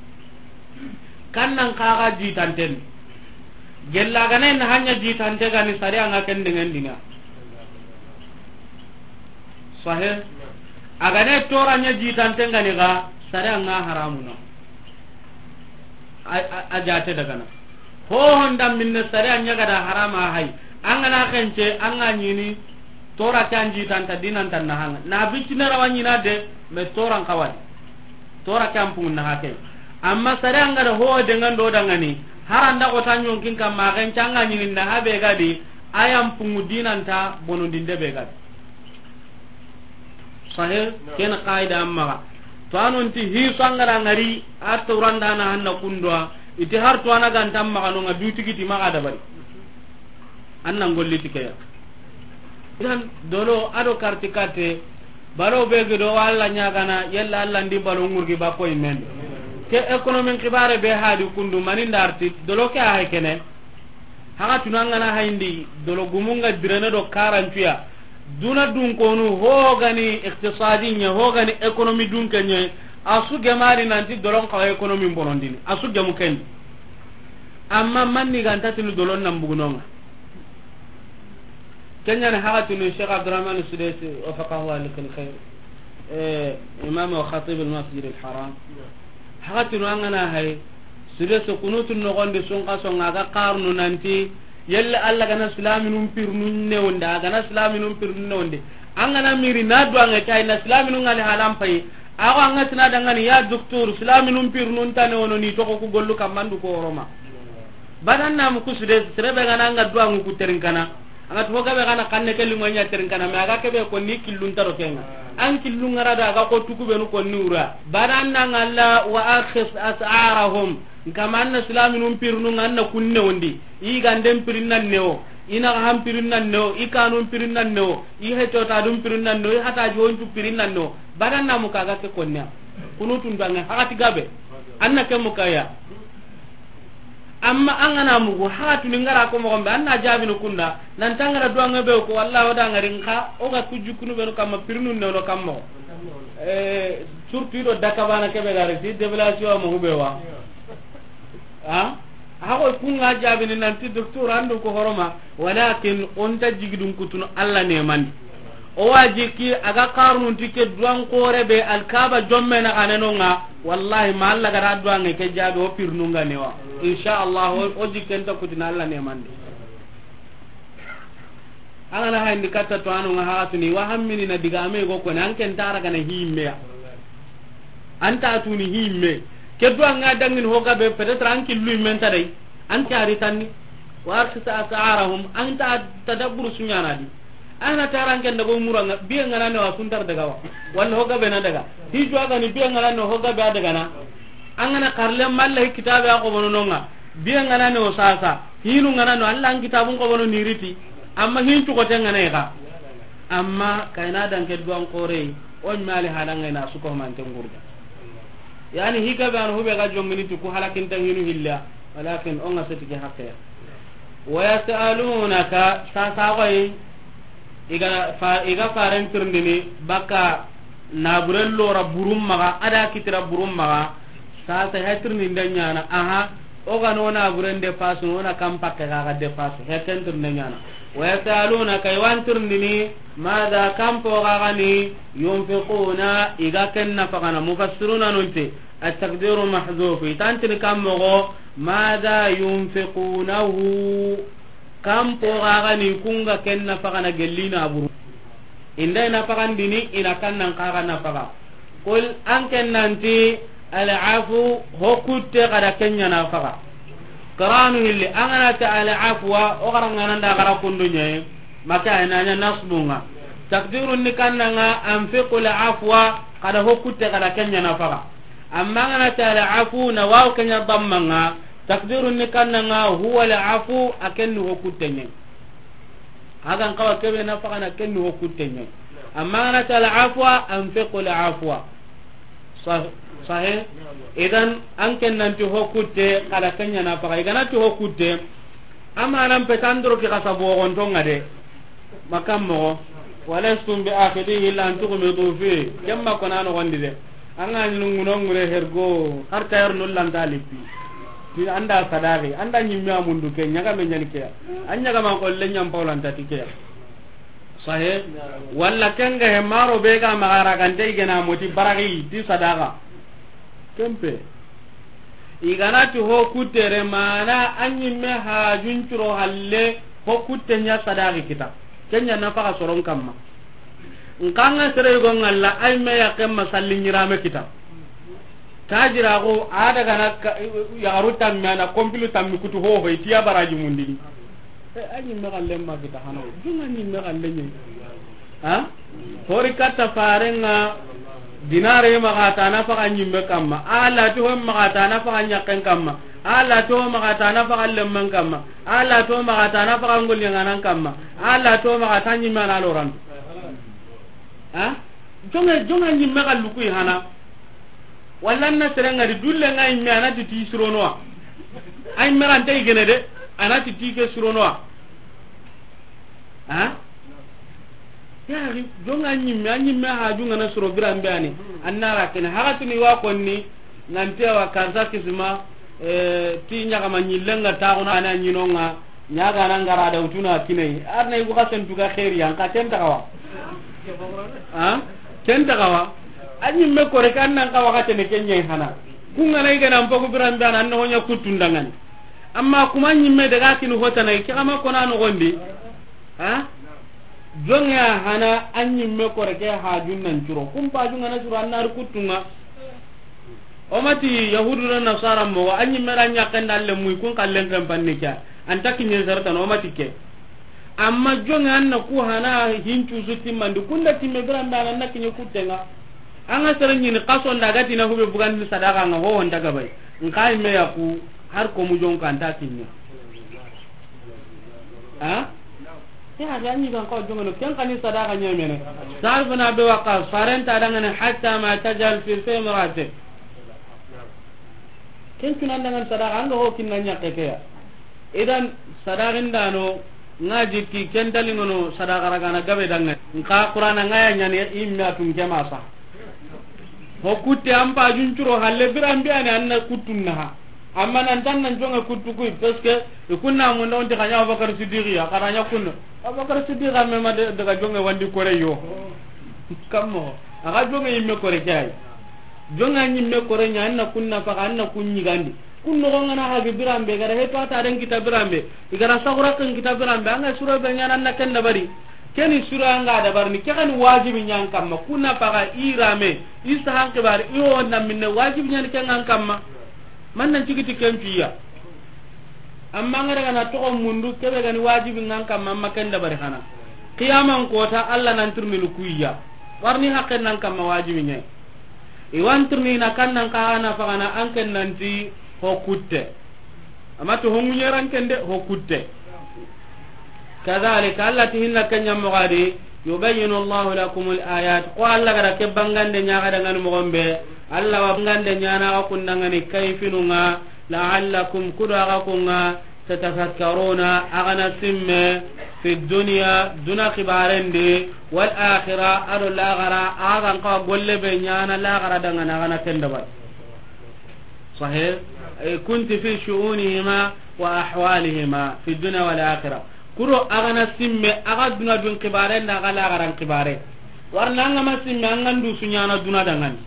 Kannan kaga jitanten. Gella gane na hanya jitante gani sari anga ken dengan dina. Sahih. Agane tora nya jitante gani ga sari anga haramuna. A, a, a jate daga na. Ho honda minne sari anya gada harama hay. Angana kence anga nyini tora kan jitanta dinan tan na hanga. Na bitine rawanyina de me toran kawadi. Tora kampungu na hake. Amma sare anga da ho de ngando dangani. Haranda ko tanyon kin kam ma gen canga nyini na habe gadi. Ayam pungu dinanta bonondinde be gadi. Sahih. Ken qaida amma. To anon ti hi sangara ngari a to randa na hanna kundwa. Iti har to ana gantam ma kanonga dutigiti ma dabari. Annan golli tikeya. Idan dolo ado karti kate balo be gido walla nyagana yella Allah ndi balo ngurgi ba koy men. Ke ekonomin kibare be hadi kundu mani ndarti dolo ke ay kene. Haga tunangana hayndi dolo gumunga direne do karantuya. Duna dun konu hogani iktisadi nya hogani ekonomi dun kenye. A su gemari nanti dolon kawa économie bonondini. A su gemu ken. Amma manni ganta tinu dolon nan bugunonga. Kenya ne haga tinu Cheikh Abdurrahman Sudesi, wafaqahu Allah lil khair. Eh, imam wa khatib al Masjid al Haram. Haga tinu angana hay. Sudesi kunutun nogondi sunka songa ga qarnu nanti. Yelle Allah gana silaminun pirnu newonde, a gana silaminun pirnu newonde. An gana miri na duwange kay na silaminun ŋali halan payi. Ago an ga tina dangani ya docteur, silaminun pirnu nta newono ni toxo ku gollu kammandu ko horoma. Badan na mu kusude, sere be gana an ga duwangu ku terinkana. An ga to gabe gana kanne ke limo nya terinkana, me aga kebe ko ni killun taro kenga. An killun ngara da aga ko tuku benu ko ni ura. Badan na ngalla wa akhis as'arahum. Nkama anna silaminun pirinu nga anna kunne wondi. I ganden pirin nan newo. I naxahan pirin nan newo. I kanun pirin nan newo. I hetotadun pirin nan newo. I hataji honcu pirin nan newo. Badan na muka ga ke konniya. Kunutun dange hakati gabe. Anna ke mukaya. Amma an gana mugu hakatu ni ngara ko moxon be anna jabini kunda. Nan tangara duwange be ko wallahi o dangari nka o ga kujukunu be no kamma pirinu newo kamma. Eh, surtout do dakabana kebe gare ti develation mo hube wa. Ha? Hago kunga jabini nanti docteur andu ko horoma, walakin onta jigidun kutunu Allah ne mandi. O waji ki aga qarnun tike duwan kore be alkaba jomme na kanenonga, wallahi ma Allah gara duwange ke jabi o pirnunga newa. Insha Allah o, o jikenta kutina Allah ne mandi. An gana hayndi katta to anu nga haxatuni wa hammini na diga ame go kone an ken tara gana himme ya. An ta tuni himme. Ke do an ga dangin ho gabe peut-être an killu men ta dai. An tari tanni. Wa arsita asarahum an ta tadabbur sunyana di. Ana tara an ken dago muranga biye ngana ne wa suntar daga wa. Walla ho gabe na daga. Hi jo gani biye ngana ne ho gabe daga na. An gana karle malla hi kitabe a ko bono nonga. Biye ngana ne o sasa. Hinu ngana no Allah an kitabun ko bono niriti. Amma hin cukote ngana ga. Amma kayna dan ke duwan kore. O mali halanga na suko man tengurda. Yani higa be an hube ga jongini tu ku halakin tan hinu hilla. Walakin on ga setike hakke. Wa yasalunaka sasa goy. Iga fa, iga faren tirndini baka naburen lora burum maga ada kitira burum maga. Sasa hetirni ndanyana aha. O ga no naburen de pasu no na kam pakke ga ga de pasu heten tirni ndanyana. Wa yasalunaka iwan tirndini madha kam po ga gani yunfiquna iga ken nafaqana mufassiruna nunti. At-taqdiru mahzuf. Itantini kam mogo madha yunfiqunahu. Kan po ga gani kunga ken nafaqana gellina buru. Inda ina faqandini ina kannan kaga nafaqa. Qul an ken nanti al-afu ho kutte kada kenya nafaqa. Qaranu hilli an gana ta al-afwa o garangana nda gara kundunya. Maka ina nya nasbunga. Takdirun ni kannanga anfiqu al-afwa kada ho kutte kada kenya nafaqa. Amma an gana ta al-afu na waw kenya dammanga. Takdirun ni kannanga huwa al-afu akenni ho kuttenye. Hagan kawa kebe nafaqana kenni ho kuttenye. Amma an gana ta al-afwa anfiqu al-afwa. Sah-, sahih. Idan an ken nanti ho kutte kada kenya nafaqa. Igana ti ho kutte. Amanan petandro ki kasa bogontonga de. Makam mogo. Walastum bi akhidhihi illa an tughmidu fi. Kemma kona no gondi de. Anga nyinu nguno ngure hergo. Har tayar no lanta lipi. Ti anda sadaqi, anda nyimme amundu ke nyaga me nyani ke. Anyaga man ko le nyam pawlanta ti ke. Sahe. Walla kenga he maro be ga magara gante igena moti baragi ti sadaqa. Kempe. Iganati ho kutere mana anyimme hajun curo halle ho kutte nya sadaqi kita. Kenya nafaqa soron kamma. Nkanga sere yugo ngalla ay me ya kemma salli nyirame kita. Tajira go ada gana ka-, yagaru tammi ana kompilu tammi kutu ho ho itiya baraji mundini. E, a ñimme xalle ma kita hano. Dunga ñimme xalle ñi. Ha? Hori katta farenga dinare maxa ta na faxa ñimme kamma. Alla to maxa ta na faxa ñakken kamma. Alla to maxa ta na faxa lemmen kamma. Alla to maxa ta na faxa ngollenganan kamma. Alla to maxa ta ñimme ana lorandu. Ha? Jonga, jonga ñimme xallu kuy hana. Walla na serenga di dulle nga ñimme ana ti ti suronoa. Ay merante igene de, ana ti ti ke suronoa. Ha? Ya, jonŋa ɲimme, a ɲimme haju ŋa na suro biran be ani. An na ra ken haxatini wa konni, nanti awa karsa kisima, eh, ti ɲaxama ɲillenŋa taxuna a na ɲinonŋa, ɲaga na ŋara da wutuna kinai. Ar na yugo xasen tuga xeeri yan, xa ken taxawa. Ha? Ken taxawa. A ɲimme kore kan nan xa waxatene ken ɲa hana. Kun ŋa na i ga na n pogu biran be ani, an na ho ɲa kuttun danŋani. Amma kuma ɲimme daga kini hotana, ke xama kona noxondi. Ha? Jonŋe a hana a ɲimme kore ke hajun nan curo. Kun pajun ŋa na curo an na ri kuttunŋa. O ma ti Yahudu na Nasara moxo, a ɲimme ra ɲaxen da alle muyi kun kallen ken panni ke. An ta kiɲe sartana, o ma ti ke. Amma jonŋe an na ku hana hincu su timmandi, kun da timme biran be ani an na kiɲe kuttenŋa. An ga sere ɲini xason da ga ti na hube bugandi sadaxa ŋa, ho ho nta gabay. Nxa imme ya ku har ko mu jonŋa an ta kiɲe. Ha? Ke hadi a ɲi gan ko jonŋono, ken xa ni sadaxa ɲemene. Saad bun Abi Waqqas, faren ta danŋani, hatta ma tajal fi fi imra'atik. Ken tunan danŋani sadaxa, an ga ho kinna ɲaxe ke ya. Idan, sadaxin dano, ŋa jikki, ken talinŋono, sadaxa ragana gabe danŋa. Nxa Qur'ana ŋa ya ɲani, imme a tun ke ma sa. Ho kutte an pajun curo halle biran be ani an na kuttun naha. Amma nan tan nan jonŋe kuttu kuyi, parce que i kunna mun da wonti xa ɲa Abubakar Siddiqi ya, xa ra ɲa kunna. Abubakar Siddiqi a me ma de-, daga jonŋe wandi kore yo. Kammo, a ga jonŋe yimme kore ke ay. Jonŋe a ɲimme kore ɲa, an na kunna faxa, an na kun ɲigandi. Kun noxon ŋa na hagi biran be, ga da heto a ta den kita biran be. I ga da saxura ken kita biran be, an ga suro be ɲana an na ken dabari. Keni sura nga dabarni, ke xani wajibi ɲan kamma, kuna paga i rame, i sahan xibari, i wo na minne wajibi ɲani ke ŋan kamma. Man nan cigiti ken piya. Amma nga daga na toxo mundu, kebe gani wajibi ŋan kamma, amma ken dabari xana. Qiyaman kota, Allah nan tirnini kuya. Warni haqqen nan kamma wajibi ɲe. I wan tirni na kan nan kaga na fagana an ken nanti ho kutte. Amma to hongu ɲeran ken de ho kutte. Kadhalika, Allah ti hinna kenya mogadi, yubayyinu Allahu lakumul ayat. Ko Allah gara ke bangande ɲaga dangan mogombe, Allah wa bangande ɲana ga kundangani kayfinunga, la'allakum, kudo aga kunga, tatafakkaruna, agana simme, fi dunya, duna khibarendi, wal akhirah, ado lagara, agan ka golle be ɲana lagara dangan agana kendabal. Sahih? Eh, kunti fi shu'unihima wa ahwalihima fi dunya wal akhirah. Kuro agana simme, aga duna dun xibare nda aga lagaran xibare. Warna anga ma simme, anga ndu sunyana duna dangani.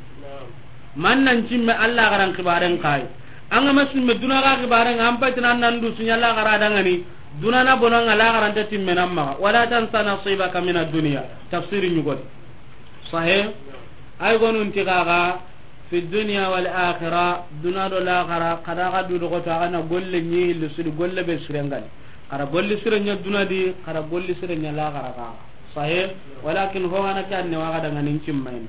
Man nan cimme Allah garan xibaren kai. Anga ma simme duna ga xibaren, an patina nan ndu sunya lagara dangani. Duna na bonanga lagaran ta timme namma. Wala tansa nasibaka min ad-dunya. Tafsiri ɲugodi. Sahih? Ay gonun tigaga, fi dunya wal akhirah, duna do lagara, kada ga du dogo to, agana golle ɲi hilli sudi golle be sirengani. Kada golli sire ɲa duna di, kada golli sire ɲa lagara ga. Sahih? Walakin ho ana kan ne waga daga nin cimmayne.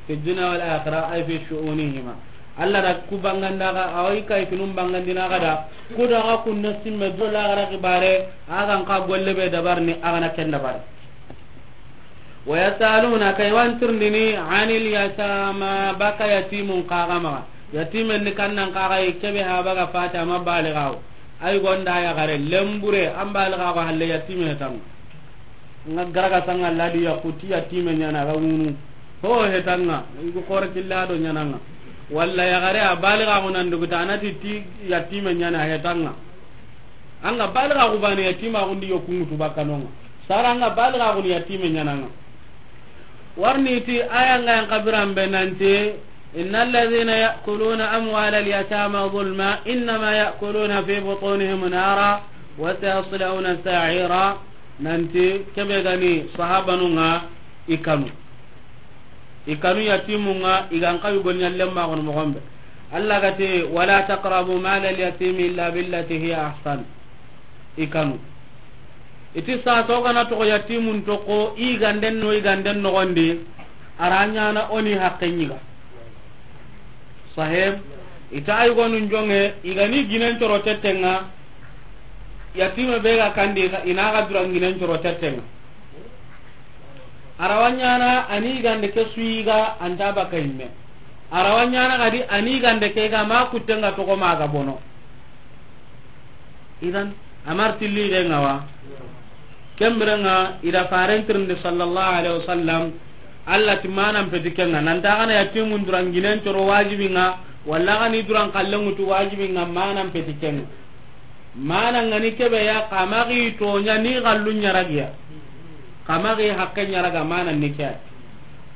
Fi dunya wal akhirah, ay fi shu'unihima. Allah da ku banganda ga, awai kai kinum bangandina ga da, ku da ga kunna simme do lagara xibare, agan ka golle be dabarni, agana ken dabari. Wa yasalunaka, i wan tirndini, anil yatama, baka yatimun kaga maga. Yatimen ni kannan kaga, i kebe ha baga fata ma baligawo. Ay gonda ya gare lembure, an baligawo halle yatime tanga. Nga garaga sanga ladi ya kuti yatime ɲana ga wunu. Ho hetanga, igu kore killa do ɲananga. Walla ya gare a baligawo nan duguta anati ti yatime ɲana hetanga. Anga baliga ku bane yatima gundi yo kungutu bakanonga. Sara anga baliga ku ni yatime ɲananga. Warni ti aya nga yan kabiran be nanti, innal ladhina ya'kuluna amwalal yatama zulma, innama ya'kuluna fi butunihim nara, wa sayaslawna sa'ira. Nanti kebe gani sahabanunga i kanu. I kanu yatimunga, i gan kawi gol ɲallen ma gono mogombe. Allah gati, wala taqrabu malal yatimi illa billati hiya ahsan. I kanu. Iti sa to gana to yatimun to ko, i ganden no, i ganden no gondi, aranyana oni haqqe ɲiga. Sahib, ita ay gonun jonge, i gani ginen coro tettenga, yatime be ga kandi, ina ga duran ginen coro tettenga. Arawa ɲana ani gande ke suyiga anta baka yimme. Arawa ɲana gadi ani gande ke ga ma kuttenga togo maga bono. Idan, amar tilli de ngawa. Ken biren ŋa, i da faren tirindi sallallahu alaihi wasallam, Allah ti manan peti ken ŋa, nan ta xa na yatimun duran ginen coro wajibin ŋa, walla xa ni duran kallen ŋutu wajibin ŋa, manan peti ken ŋa. Manan ŋa ni kebe ya, xa ma xi toɲa ni xallun ɲaragiya. Xa ma xi haqqen ɲaraga, manan ni ke ya.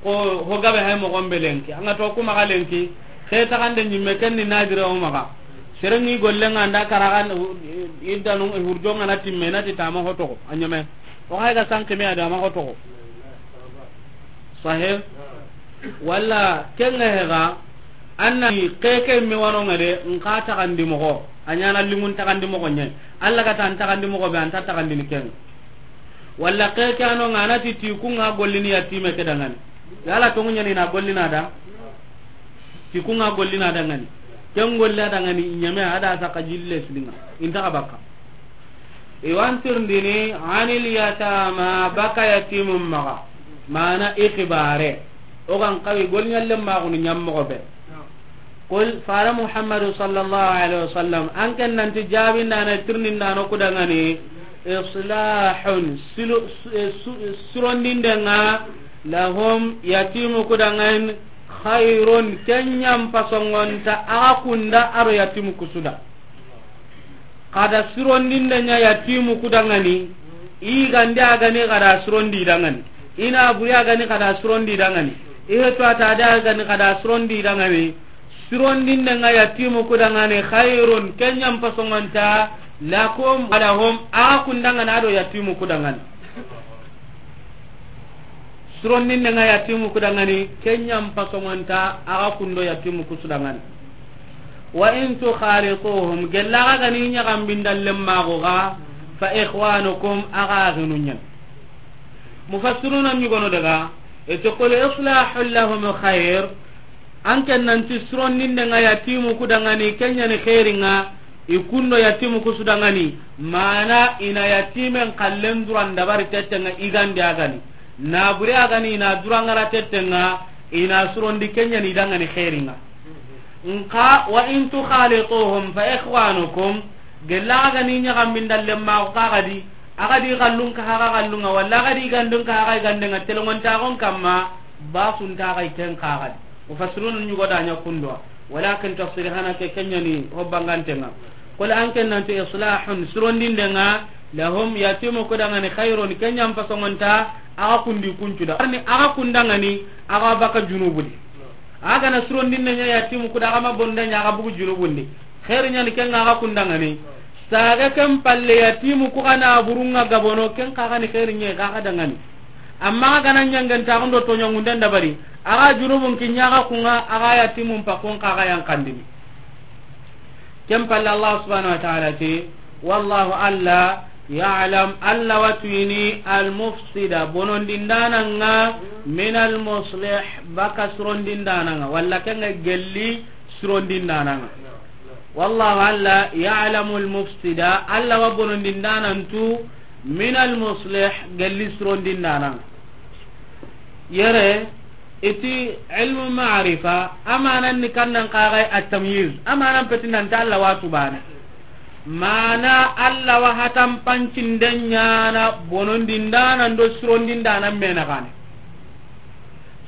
Ko ho gabe hay moxon be lenki, an ga to ku maxa lenki, ke taxande ɲimme ken ni nadire o maxa. Seren ŋi gollen ŋa nda karagan, iddanu hurjon ŋa na timme, na ti tama hotoxo, a ɲeme. O xa ga sanki me a da ma hotoxo. Sahih? Walla ken ŋa hega, an na ni keke me wano ŋa de, n xa taxandi moxo, a ɲana lingun taxandi moxo ɲa. Allah ga ta an taxandi moxo be, an ta taxandini ken ŋa. Walla ke ke ano ŋa na ti ti ku ŋa gollini yatime ke dangani. Yala tongu ɲani na gollina da? Ti ku ŋa gollina dangani. Ken golla dangani ɲeme a da saka jille silinga. Inta ka baka. Iwan tirndini anil yatama, baka yatimum maxa. Mana i xibare. O gan kawi gol ɲalle maxunu ɲammoxo be. Qul, fara Muhammadu sallallahu alaihi wasallam, an ken nanti jabindana, tirnindano kudangani, islahun, silu-, su-, su-, surondindenga, lahum, yatimu kudangan, khairun, kenyam pasongonta, aga kunda aro yatimu kusuda. Kada sirondinde ɲa yatimu kudangani, i gande a gani kada sirondi dangani, i na buri a gani kada sirondi dangani, i hetu ata de a gani kada sirondi dangani. Sirondinde nga yatimu kudangani, khairun, kenyam pasongonta, lakum, walahum, a kundangana do yatimu kudangani. Surondinde nga yatimu kudangani, kenyam pasongonta, aga kundo yatimu kusudangani. Wa in tukhalituhum, gella aga gani ɲagambinda lemmago ga, fa ikhwanukum, aga aginunyan. Mufassiruna ɲugono daga, ete qul islahun lahum khair, an ken nanti surondinde nga yatimu kudangani, kenyani khairinga, i kundo yatimu kusudangani, mana ina yatimen kallen duran dabari tettenga igande agani. Na bure agani ina durangara tettenga, ina surondi kenyani dangani khairinga. Nka wa in tukhalituhum fa ikhwanukum, gella agani ɲagambinda lemma kagadi, agadi gallun ka haga gallunga, walla agadi gandun ka haga gandenga, telongontagon kamma, basunta ga iten kagadi. Mufassirun ɲugo da ɲa kundwa. Walakin tafsir hana ke kenyani hobbangantenga. Qul an ken nanti islahun, surondindenga, lahum, yatimu kudangani, khairun, kenyam pasongonta, aga kundi kuncuda. Arni aga kundangani, aga baka junubudi. Aga na surondinde ɲa yatimu kuda, aga ma bonda ɲa, aga bugu junubundi. Khairi ɲani kenga aga kundangani. Saga ken palle yatimu ku gana burunga gabono, ken kagani khairi ɲe kaga dangani. Amma aga na ɲangen taxundo to ɲangunden dabari, aga junubun kiɲaga kunga, aga yatimun pakun kaga yankandini. Ken palle Allah subhanahu wa ta'ala ti, wallahu, Allah, ya'lam, Allah watuyini, al mufsida, bonondindananga, min al muslih, baka surondindananga, walla kenga gelli surondindananga. Wallahu, Allah, ya'lamu al mufsida, Allah wa bonondindanantu, min al muslih, gelli surondindananga. Yere, iti ilmu ma'rifa, amanan ni kannan kagai at-tamyiz, amanan peti nanti Allah wa tubane. Mana Allah wa hatan pancinden ɲana bonondindanan do surondindanan mena gane.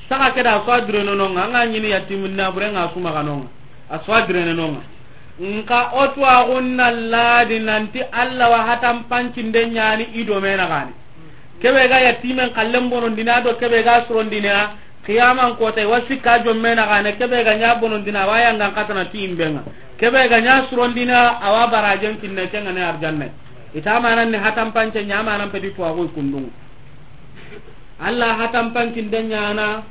Saka keda so adreno nonga, anga ɲini yatimun na burenga suma kanonga. A so adreno nonga. Nka o tuwaxun na ladi nanti Allah wa hatan pancinden ɲani i do mena gane. Kebe ga yatimen kallen bonondina do kebe ga surondina, qiyaman kota wa sikka jomme na gane, kebe ga ɲa bonondina wa yangan katana ti imbenga. Kebe ga ɲa surondina awa barajen kinne kenga ne arjanne. Ita manan ni hatan pance ɲa manan pedi tuwaxu kundunga. Allah hatan pancinden ɲana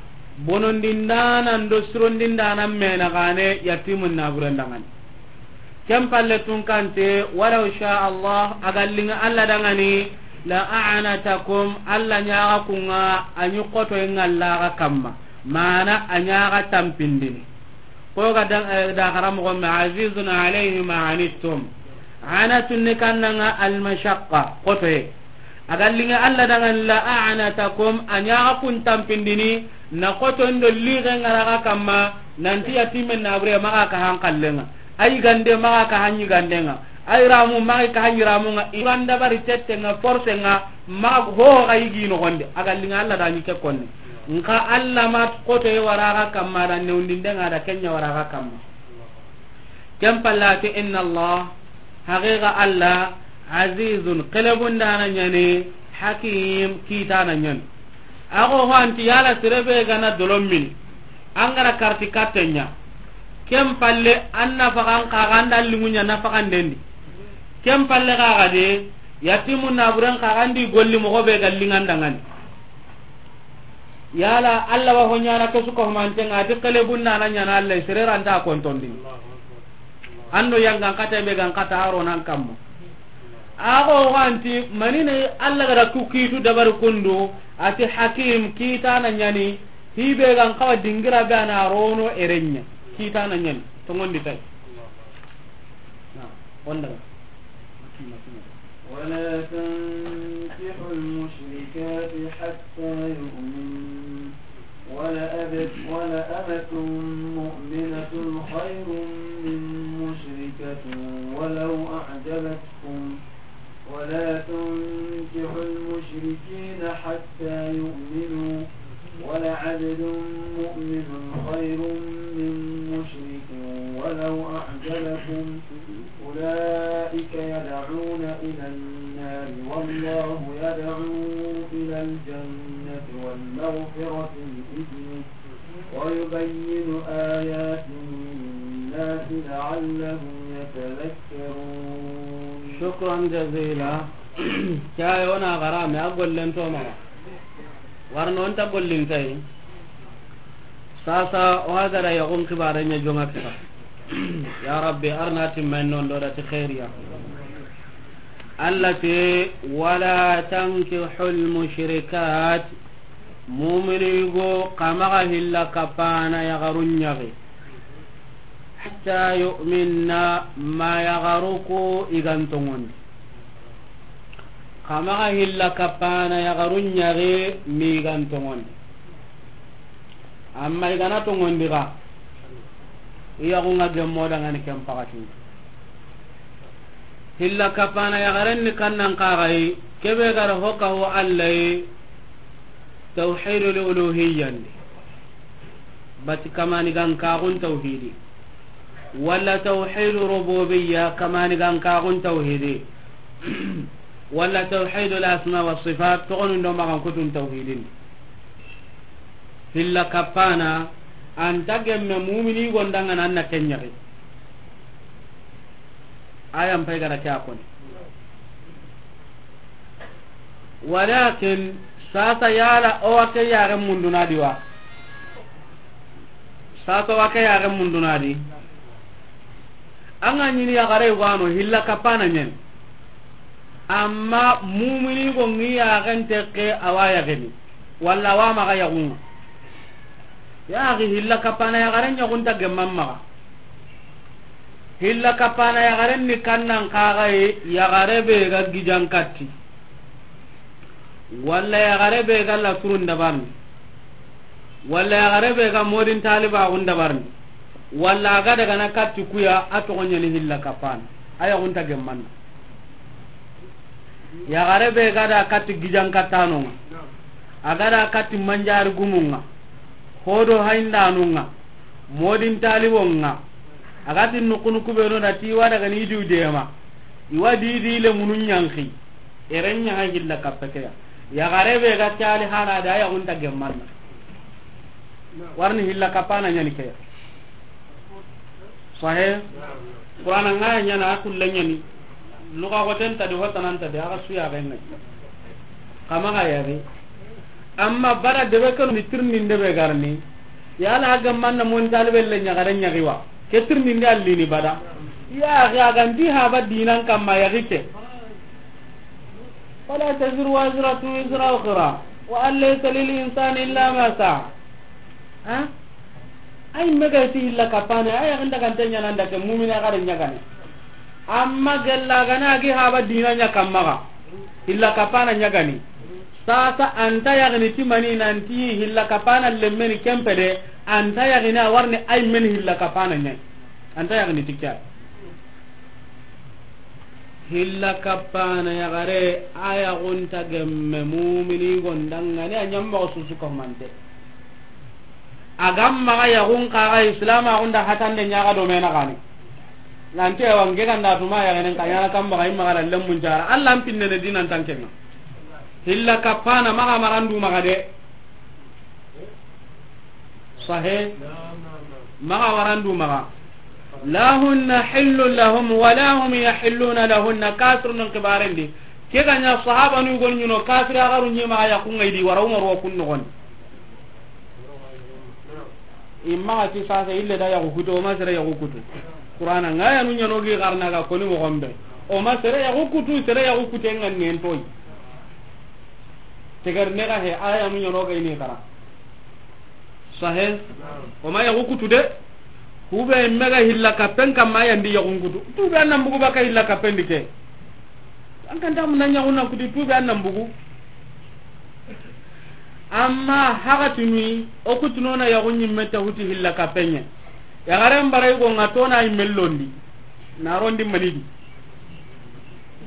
bonondindanan do surondindanan mena gane yatimun na burendangani. Ken palle tunkante, walaw sha Allah, agallinga Allah dangani, la a'anatakum, Allah ɲaga kunga, a ɲi koto inga Allah ga kamma. Mana a ɲaga tampindini. Ko ga da, eh, da xaramoxo me, azizun alayhi ma anittum. Anatun ni kannanga al mashaqqa, kotoye. A ga linŋa Alla danŋa la a'anatakum, a ɲa xa kun tampindini, na xotondo lixe ŋa ra xa kamma, nanti yatimen na bure maxa ka han xallenŋa, a yigande maxa ka han yigandenŋa, Ay ramu maxa ka hanyi ramu nga, iran dabari tette nga, force nga, maxa ho ga yigi no gonde, a ga linga Allah da ni ke konne. Nka Allah ma koto e wara ga kamma da, newndinde nga da kenya wara ga kamma. Ken pallati, inna Allah, haqiqa Allah, azizun, kelebundana ñani, hakim, kitana ñani. Ago ho anti yala sere be gana dolomini, angara karti kattenya. Ken palle anna fagan kaga anda lingunya na fagan dendi. Ken palle kaga de, yatimu naburen kaga andi golli mogo be gallingandangani. Yala Allah wa ho ñana ke su ko mantenga, ati kelebundana ñana Allah, sere ranta kontondi. Ando yangan kata be gan kata aro nan kammo. Ago wanti manine Allah gara ku kitu dabar kundu, ati hakim, kitana ñani, hibe gan kawa dingira be ana rono erenya, kitana ñani, to ngondi tay. Na, onda. ولا تنكحوا المشركات حتى يؤمن، ولأمة، ولأمة مؤمنة خير من مشركة ولو أعجبتكم، ولا تنكحوا المشركين حتى يؤمنوا، ولعبد مؤمن خير من مشرك ولو أعجبكم، أولئك يدعون إلى النار والله يدعو إلى الجنة والمغفرة بإذنه ويبين آياته للناس لعلهم يتذكرون. شكرا جزيلا. Cayo na garame a gollen to maga. Warno nta gollin tay. Sasa o hagara ya gon kibare nya jonga kita. Ya Rabbi, arna timmen non do da ti khairiya. Allah te, wala tankihul mushrikat. Mumini go kamaga hilla kapana ya garunyage. Hatta yu'minna, ma yagaru ku i gan tongondi. Kamaga hilla kapana yagaru ñage mi gan tongondi. Amma i gana tongondi ga, i yagunga gemmo dangani ken pakatin. Hilla kapana yagaren ni kannan kagayi, kebe gara hoka ho Allah yi, tawhidul uluhiyyandi. Bati kamani gan kagun tawhidi. Wala tawhidu rububiyya, kamani gan kagun tawhidi. Wala tawhidul asma wa sifat, togonun do magan kutun tawhidin. Hilla kapana, anta gemme mumini gondanga nan na kenyari. Ayan pay gara kya koni. Walakin, sasa yala o wa ke yaren munduna di wa? Sasa o wa ke yaren munduna di? An ga ñini yagare wano hilla kapana ñen. Amma mumini go ngi yaren tekke awa yageni. Walla awa maga yagunga. Yaxi hilla kapana yagaren ñagunta gemman maga. Hilla kapana yagaren ni kannan kagaye yagare be ga gijan katti. Walla yagare be ga laturun dabarni. Walla yagare be ga modin talibagun dabarni. Walla a ga daga na katti kuya a togo ñani hilla kapana. A yagunta gemmanna. Yagare be ga da katti gijan kattanonga. A ga da katti manjari gumunga. Hodo haindanunga. Modin taliwonga. A ga ti nukunu kubeno da ti wa daga ni diu dema. Iwa di di le munun ñanki. Erenya ha hilla kappe keya. Yagare be ga tali hana da yagunta gemmanna. Warni hilla kapana ñani keya. Sahe. Qur'ana ngaya ñana a kulle ñani. Luga goten tadi, hotanan tadi, aga suya ga ngai. Kama ga yari. Amma bara debe kanu ni tirni debe garni. Yala aga manna mon talbe le ñagare ñagiwa. Ke tirni ndi allini bada. Ya ga ganti haba dinan kamma yagi ke. ولا تزر وازرة وزر أخرى وأن ليس للإنسان إلا ما سعى. Ha? Ay mega ti hilla kapana, ay ganda ganta ñana ndake mumina gare ñagane. Amma gella gana gi haba dina ña kammaga. Hilla kapana ñagani. Sasa anta yagini timani nanti hilla kapana lemmeni kempede, anta yagini a warni ay men hilla kapana ña. Anta yagini tikya. Hilla kappana yaxare, a yaxunta gemme mumini gondangani, a ɲammoxo susu kahumante. A ga maxa yaxun kaxa islamaxunda hatande ɲaxa do mena xani. Nanti awa nke ganda tuma yaxenen ka ɲana kan maxa i maxa lallen muncara. Alla an pinnene dinan tankenga. Hilla kappana maxa marandu maxa de. Sahe. Maxa warandu maxa. La hunna hillun lahum wala hum yahilluna lahunna. Kafirunun xibarendi. Ke ga ɲa sahabanu gonu ɲino kafiri axaru ɲi maxa yaxunga i di wara Umaru wa kun noxondi. Imma ti sasa ille da yaxu kutu, o ma sere yaxu kutu. Qur'ana nga yanu ɲano gi xarna ga koni moxon be. O ma sere yaxu kutu, sere yaxu kute nga nen toy. Tegar ne ga he, a yanu ɲano ga ini xara. Sahe. O ma yaxu kutu de. Hube mega hilla kappen kamma yandi yaxun kutu. Tube annan bugu baka hilla kappen di ke. An kan ta mun na yaxun nan kutu tube annan bugu. Amma haga tunu, o kutunona yaxu ɲimme ta huti hilla kappenye. Yaxaren bara i go nga tona i mellondi. Na rondi manidi.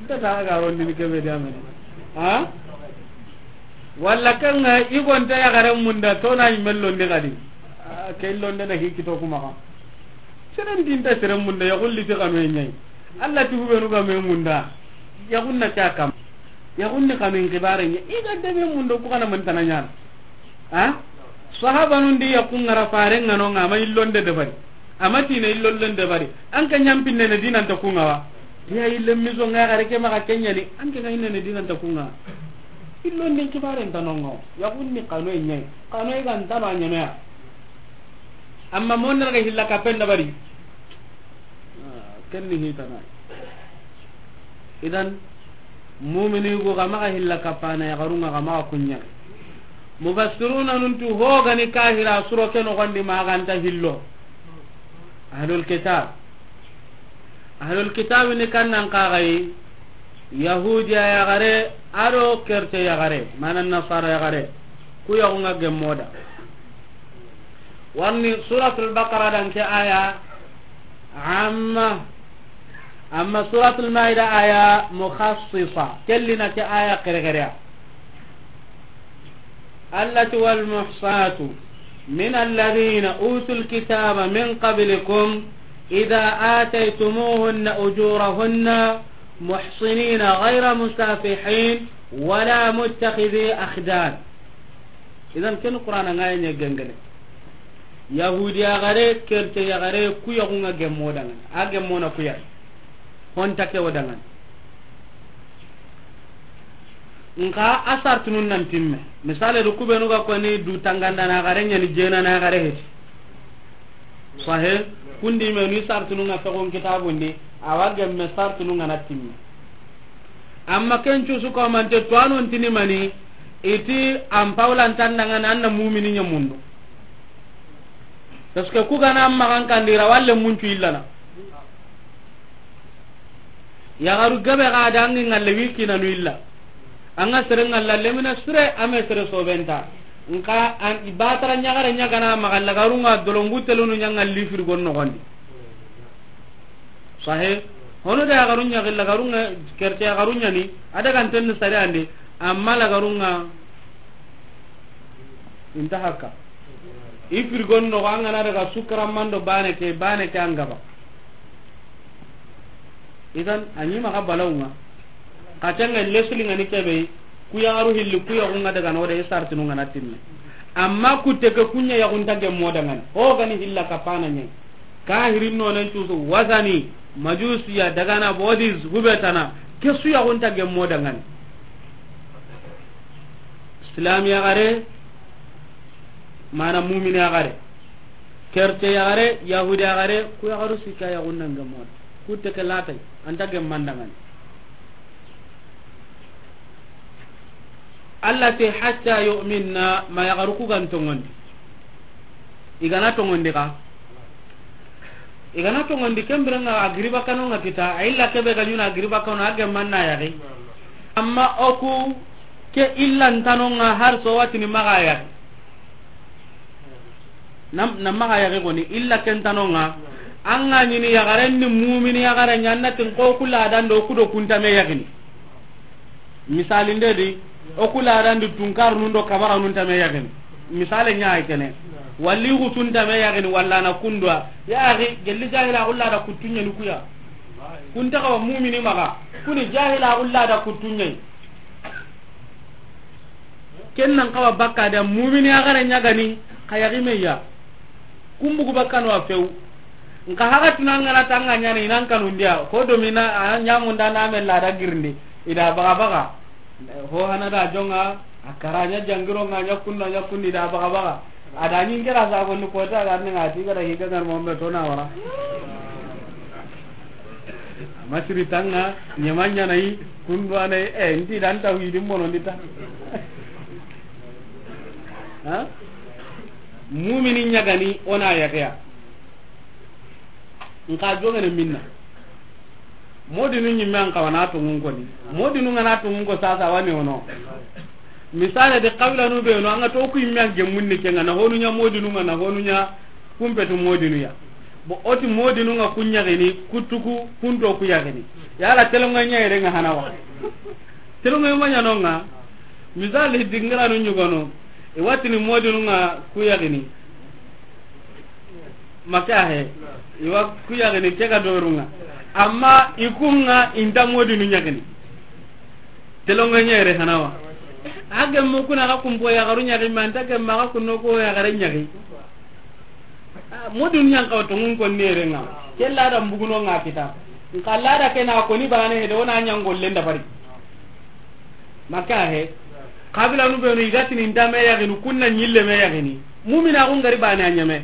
Nta ta ga rondi ni kebe da mene. Ha? Walla kan nga i go nta yaxaren munda tona i mellondi gadi. Ah, ke illonde na hikito kuma ka. Seren dinta seren munda yaxulli ti kanu e ɲai. Alla ti hubenu ga me munda. Yaxunna ta kam. Yaxunni xanun xibare ɲa, i ga debe mundo ku xana mantana ɲana. Ha? Sahabanun di yaxun ŋara fare ŋano ŋa, a ma illonde debari. A ma tine illonde debari. An ka ɲampinnene dinanta ku ŋa wa. Tiya ille miso ŋa xare ke maxa ke ɲani, an ke ga innene dinanta ku ŋa. Illondin xibare nta no ŋa wa. Yaxunni xanoye ɲayi. Xanoye ga ntano a ɲanoya. Amma monnere ga hilla kappen dabari. Ah, kenni hitana. Idan, mumini go ga maxa hilla kappana yaxarunga ga maxa kuɲa. Mufassiruna nun tu ho gani kahira suro ke noxondi ma ganta hillo. Ahlul kitab. Ahlul kitab ni kannan kaxayi, Yahudiya yaxare, ado kerte yaxare, mana nasara yaxare. Ku yaxunga gemmoda. Warni Suratul Baqara dan ke aya amma, amma Suratul Maida aya mukhassisa, kellina ke aya kere kere ya. Allati wal muhsanatu min alladhina utul kitaba min qablikum idha ataytumuhunna ujurahunna muhsinina ghayra musafihin wala muttakhidhi akhdan. Idan ken Qur'ana ŋa ya ɲa gengene. Yahudiya gare, kerte ya gare, ku yaxunga gemmo dangani. A gemmona ku ya. Honta ke wo dangani. Nka a sartunun nan timme. Misale do kubenu ga koni du tanganda na gare ɲani jena na gare heti. Sahe, kundi menu i sartunun ŋa fexon kitabundi, awa gemme sartunun ŋa na timme. Amma ken cusu ko mante tuwanon tini mani, iti an pawlan tandanga na anna mumini ɲamundo. Parce que ku gana amma kan kandira walle muncu illana. Yaxaru gabe ga dangi ngalle wikina nu illa. Anga sere ngalla lemina sire ame sere sobenta. Nka an ibatara ɲagare ɲagana maxa lagarunga dolongu telunu ɲangalli firgon noxondi. Sahe, hono da yaxaru ɲaxi lagarunga kerte yaxaru ɲani, a daga ntenni sare andi, amma lagarunga inta hakka. I firgon noxo angana daga sukaramando bane ke, bane ke angaba. Idan, a ɲi maxa balawunga. Xa tenga lesuli ngani kebe, ku yaxaru hilli, ku yaxunga daga no de sartinu ngana timme. Amma ku teke kunya yaxunta gemmo dangani. Ho gani hilla kapana ɲe. Kahirin no nen cusu, wazani, majusiya, dagana, bodis, hubetana. Kesu yaxunta gemmo dangani. Islam yaxare, mana mumin yaxare. Kerte yaxare, Yahudi yaxare, ku yaxaru sikka yaxunna ngemon. Ku teke latay, anta gemman dangani. Allah te hatta yu'minna, ma yaxaru ku gan tongondi. I gana tongondi ka. I gana tongondi kembire nga a giriba kano nga kita, a illa kebe ga ɲuna a giriba kano a gemman na yaxi. Amma oku ke illa ntano nga har so watini maxa yaxi. Nam, nam maxa yaxi goni, illa ken tano nga. An ga ɲini yaxaren ni mumini yaxare ɲa, an na ti n ko ku ladan do ku do kuntame yaxini. Misali nde di, o ku ladan di tunkarunun do kabaranun tame yaxini. Misali ɲa ay kene. Walli xutun tame yaxini, walla na kundwa. Ya axi, gelli jahila xulla da kutuɲeni kuya. Kunta xawa mumini maxa. Kuni jahila xulla da kutuɲeni. Ken nan xawa bakka da mumini yaxare ɲa gani, xa yaxi me ya. Kumbugu bakkano a few. Nka haga tuna ngana tanga ɲana inan kanundiya. Ko domina a ɲamunda na me lada girindi. Ida baga baga. Ho hana da jonga, a kara ɲa jangiro nga ɲa kunna ɲa kundi da baga baga. A da ɲin kera sa gonni kota ga ni ngati ga da higa ngar mo me to na wara. Masiri tanga, ɲemanya na yi, kundu ana yi, eh, nti dan tawhidin bono ndita. Ha? Mumini ɲa gani, o na yaxeya. Nka jongene minna. Modinu ɲimme an kawana tungun koni. Modinu ngana tungun ko sasa wani ono. Misale de, xabilanu be no, an ga to ku yimme an gemmun ni kenga, na honu ɲa modinu nga, na honu ɲa kumpetu modinu ya. Bo o ti modinu nga ku ɲaxini, kutuku, kunto ku yaxini. Yala telonga ɲa yere nga hana wa. Telonga ma ɲa no nga. Misali dingiranu ɲugono. I watini modinu nga ku yaxini. Maka he. Iwa ku yaxini ke ga dorunga. Amma i kunga inta modinu ɲaxini. Telonga ɲa yere hana wa. A gemmu kuna ga kumpo yaxaru ɲaxi, ma nta gemma ga kunno ko yaxare ɲaxi. Ah, modinu ɲan xawa tungun koni yere nga. Ke lada mbuguno nga kita. Nka lada ke na koni bane he de, o na ɲa ngollen da bari. Maka he. Xabilanu be no i ga tini nta me yaxini, kunna ɲille me yaxini. Mumina xun gari bane a ɲeme.